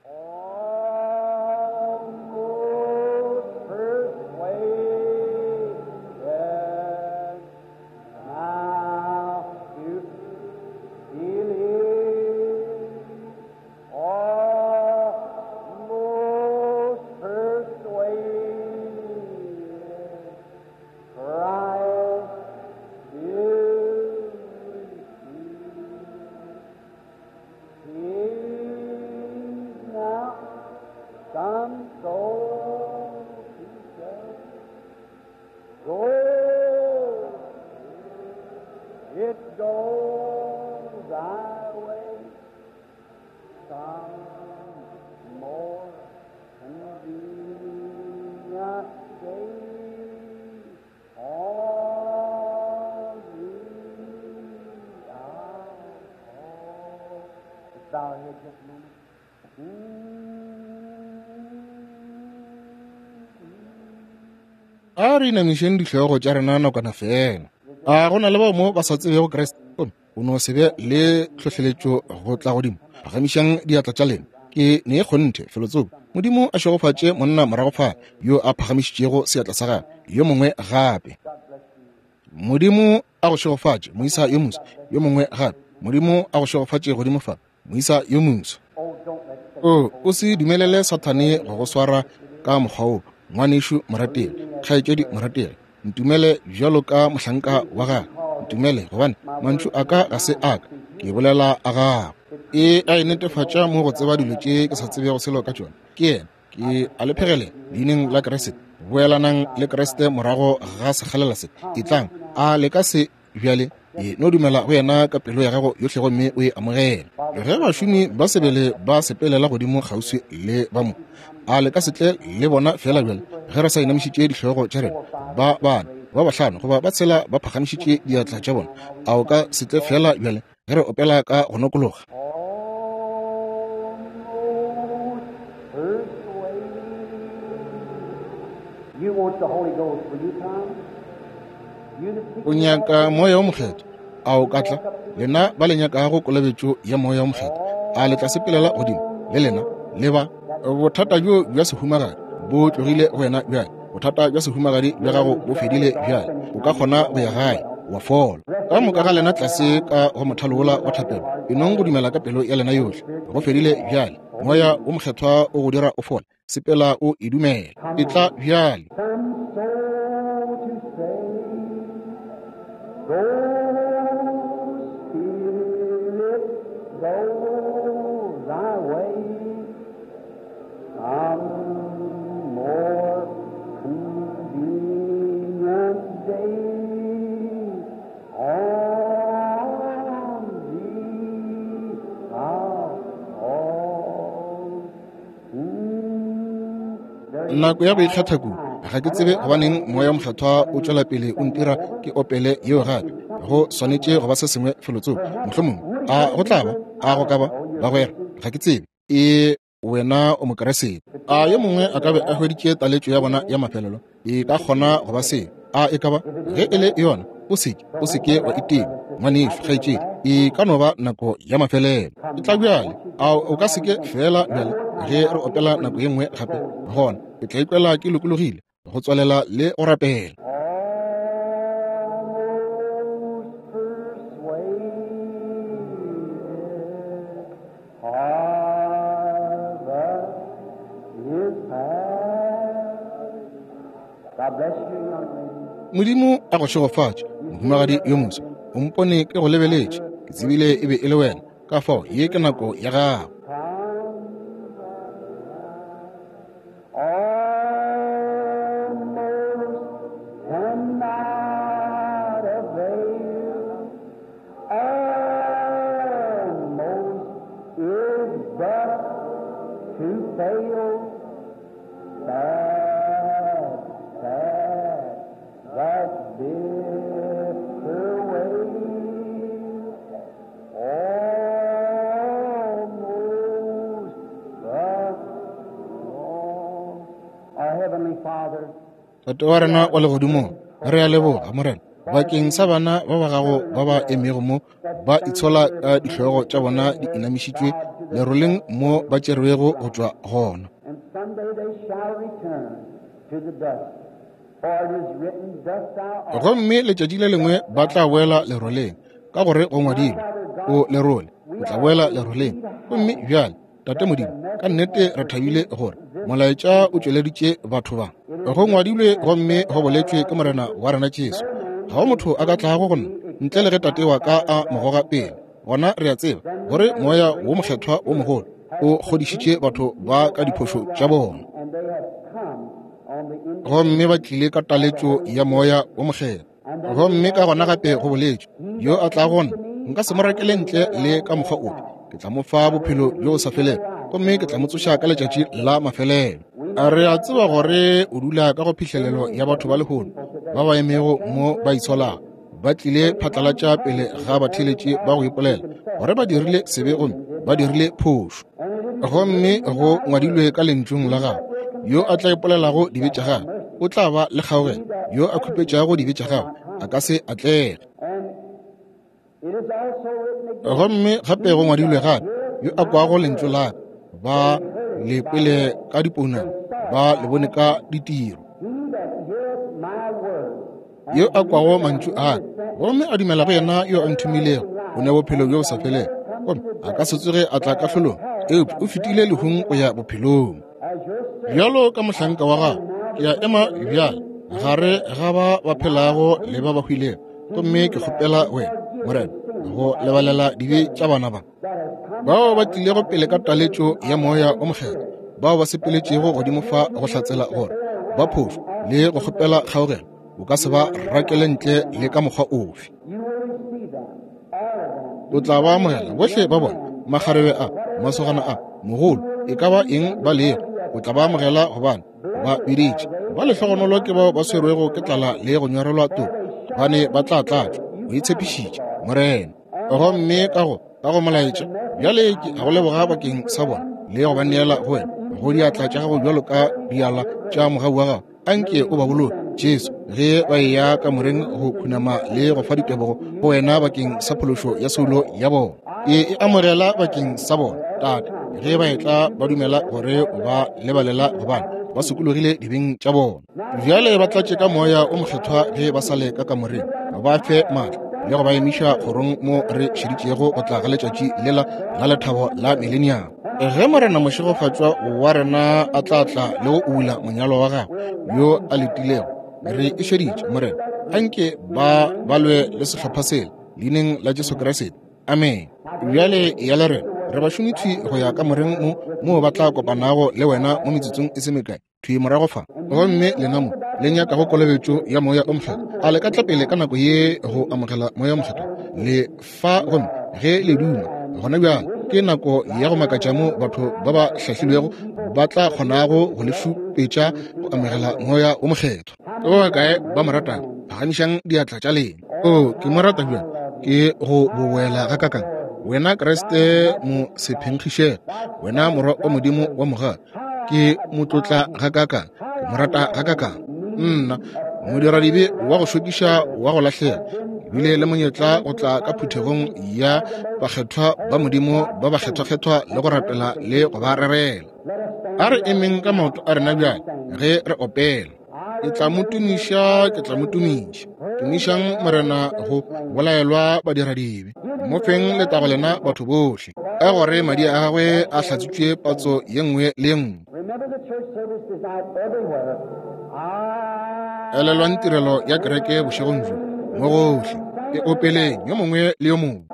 B: Spirit, go thy way. Some more convenient day on thee I'll call. Let's bow our heads just a moment.
A: A re inamišeng dihlogo tša rena nakwana fela. A go na le bao mo ba sa tsebego Kriste, gomme o no se be le tlhohleletšo go tla godimo? Phagamišang diatla tša lena. Ke ne kgonthe felotsoko. Modimo a šegofatše monna morago fale yo a phagamišitšego seatla sa gagwe. Yo mongwe gape. Modimo a go šegofatše moisa yo moso. Yo mongwe gape. Modimo a go šegofatše godimo fa, moisa yo moso. O, o se dumelele Sathane go go swara ka mokgwa wo, ngwanešu morategi, kgaetšedi morategi. Ntumele bjalo ka mohlanka wa gagwe. Ntumele, gobane mantšu a ka ga se a ka, ke bolela a gago. E a e netefatša mo go tseba dilo tše ke sa tsebego selo ka tšona. Ke yena, ke a le phegelela leineng la Kriste. Boelanang le Kriste morago ga sekgalela se. Etlang, a le ka se bjale? E no dumela go yena ka pelo ya gago yohle gomme o e amogele. Ge bašomi ba sebele ba sepelela godimo kgauswi le ba mo, a le ka se tle le bona fela bjale ge re sa inamišitše dihlogo tša rena? Ba bane, ba bahlano goba ba tshela ba phagamišitše diatla tša bona. A o ka se tle fela bjale ge re opela ka go nokologa?
B: Almost persuaded. You want the Holy Ghost, will you come? You that seek
A: O nyaka moya o mokgethwa, a o ka tla? Lena ba le nyakago kolobetšo ya moya o mokgethwa, a le tla sepelela godimo le lena le ba? Bothata bjo bja sehumagadi bo tlogile go wena bjale. Bothata bja sehumagadi bja gago bo fedile bjale. O ka kgona go ya gae wa fola. Ka moka ga lena tlase ka go mothalo wola wa thapelo, e nong go dumela ka pelo ya lena yohle. Go fedile bjale. Moya o mokgethwa o go dira o fole. Sepela o e dumela. E tla bjale.
B: Some soul to save. Go, Spirit, go thy way. Some more convenient day on thee I'll call. Mm, there is
A: Nako ya go ikgetha kudu. Ga ke tsebe gobaneng moya o mokgethwa o tšwela pele o ntira ke opele yeo gape. Go swanetše go ba se sengwe felotsoko. Mohlomongwe a go tla ba, a go ka ba, bagwera, ga ke tsebe. E wena o Mokeresete. A yo mongwe a ka be a hweditše taletšo ya bona ya mafelelo? E ka kgona go ba seo. A e ka ba? Ge e le yona, o seke, o seke wa itima, ngwanešu, kgaetšedi. E ka no ba nako ya mafelelo. E tla bjale. A o ka seke fela bjale ge re opela nako ye nngwe gape? Gona ke tla ikwela ke lokologile go tswalela le go rapela.
B: Almost persuaded harvest is past. God bless you, young lady.
A: Modimo a go šegofatše, mohumagadi yo moso. O mpone ke go lebeletše, ke tsebile e be e le wena. Ka fao ye ke nako ya gago.
B: Almost cannot avail. Almost is but to fail. Sad, sad, that bitter way. Almost the cross. Our Heavenly Father,
A: Tate wa rena wa legodimong, re a leboga Morena bakeng sa bana ba ba gago ba ba emego mo ba itshola ka dihlogo tša bona di inamišitšwe leroleng mo ba tšerwego go tšwa gona.
B: and someday they shall return to the dust. For it is written, Dust thou art.
A: Gomme letšatši le lengwe ba tla boela leroleng, ka gore go ngwadilwe, o lerole, o tla boela leroleng. Gomme bjale, Tate Modimo, ka nnete re thabile gore molaetša o tšweleditše batho ba. Go ngwadilwe gomme go boletšwe ke Morena wa rena Jesu. Ga go motho a ka tlago go nna ntle le ge Tate wa ka a mo goga pele. Gona re a tseba gore moya wo mokgethwa wo mogolo o kgodišitše batho ba ka diphošo tša bona.
B: And they have come on the
A: Gomme ba tlile ka taletšo ya moya wo mokgethwa. Gomme ka gona gape go boletšwe, yo a tlago nna nka se mo rakele ntle le ka mokgwa ope. Ke tla mo fa bophelo bjo bo sa felego, gomme ke tla mo tsoša ka letšatši la mafelelo. A re a tseba gore o dula ka go phihlelelo ya batho ba lehono ba ba emego mo ba itsholago, ba tlile phatlalatša pele ga batheeletši ba go ipolela gore ba dirile sebe gomme ba dirile phošo. Gomme go ngwadilwe ka lentšung la gago, yo a tla ipolelago dibe tša gagwe o tla ba le kgaogelo, yo a khupetšago dibe tša gagwe a ka se atlege. Gomme gape go ngwadilwe gape, yo a kwago lentšu la ka, ba le kwele ka dipounama, ba le bone ka ditiro. Yo a kwago mantšu a ka gomme a dumela go yena yo a nthomilego, o ne bophelo bjo bo sa felego, gomme a ka se tsoge a tla kahlolong, eupša o fetile lehung go ya bophelong. Bjalo ka mohlanka wa gago, ke a ema bjale gare ga ba ba phelago le ba ba hwilego, gomme ke kgopela wena, Morena, go lebalela dibe tša bana ba bao ba tlilego pele ka taletšo ya Moya o Mokgethwa, bao ba sepeletšego godimo fa go hlatsela gore ba phošo le go kgopela kgaogelo. O ka se ba rakele ntle le ka mokgwa ofe. O tla ba amogela bohle ba bona, makgarebe a, masogana a, mogolo, e ka ba eng ba lego, o tla ba amogela gobane ba biditše. Ba lehlogonolo ke bao ba swerwego ke tlala le go nyorelwa toka, gobane ba tla tlatšwa. O itshepišitše, Morena. Gomme ka go ka go molaetša bjale ke a go leboga bakeng sa bona le go ba neela go wena, go diatla tša gago bjalo ka diala tša mogau wa gago. Anke o ba boloke, Jesu, ge ba eya kamoreng go khunama le go fa ditebogo go wena bakeng sa phološo ya soulo ya bona. Ke e amogela bakeng sa bona, Tate, ge ba etla ba dumela gore o ba lebalela gobane ba sokologile dibeng tša bona. Bjale ba tlatše ka Moya o Mokgethwa ge ba sa le ka kamoreng, ba fe maatla le go ba emiša kgorong mo re šeditšego go tla ga letšatši lela la lethabo la mileniamo. Ge Morena mošegofatšwa wa rena a tla tla le go ula monyalo wa gagwe yo a letilego, re e šeditše, Morena, anke ba balwe le sehlopha sela leineng la Jesu Kriste. Amen. Bjale ya le rena re bašomi thwi go ya kamoreng mo moo ba tla kopanago le wena mo metsotsong e se mekae thwi morago fa. Gomme lena mo le nyakago kolobetšo ya Moya o Mokgethwa, a le ka tla pele ka nako ye go amogela Moya o Mokgethwa? Le fa gomme ge le duma gona bjale ke nako ya go makatša mo batho ba ba hlahlilwego ba tla kgonago go le šupetša go amogela Moya o Mokgethwa. Ke ba bakae ba mo ratang? Phagamišang diatla tša lena. O, ke mo rata bjang, ke go boboela gakakang wena Kriste mo sephenkgišego, wena morwa wa Modimo wa mogale. Ke mo tlotla gakakang, ke mo rata gakakang. Nna modiradibe wa go šokiša wa go lahlega, ke bile le monyetla go tla ka phuthegong ya bakgethwa ba Modimo ba bakgethwakgethwa le go rapela le go ba rerela. A re emeng ka maoto a rena bjale ge re opela. Ke tla mo tumiša, ke tla mo tumiša. Tumišang Morena go bolaelwa badiradibe. Mo feng letago lena batho bohle, ka gore madi a gagwe a hlatswitšwe patso ye nngwe le ye nngwe. Elelwang tirelo ya kereke bošegong bjo mo gohle. E opeleng yo mongwe le yo mongwe.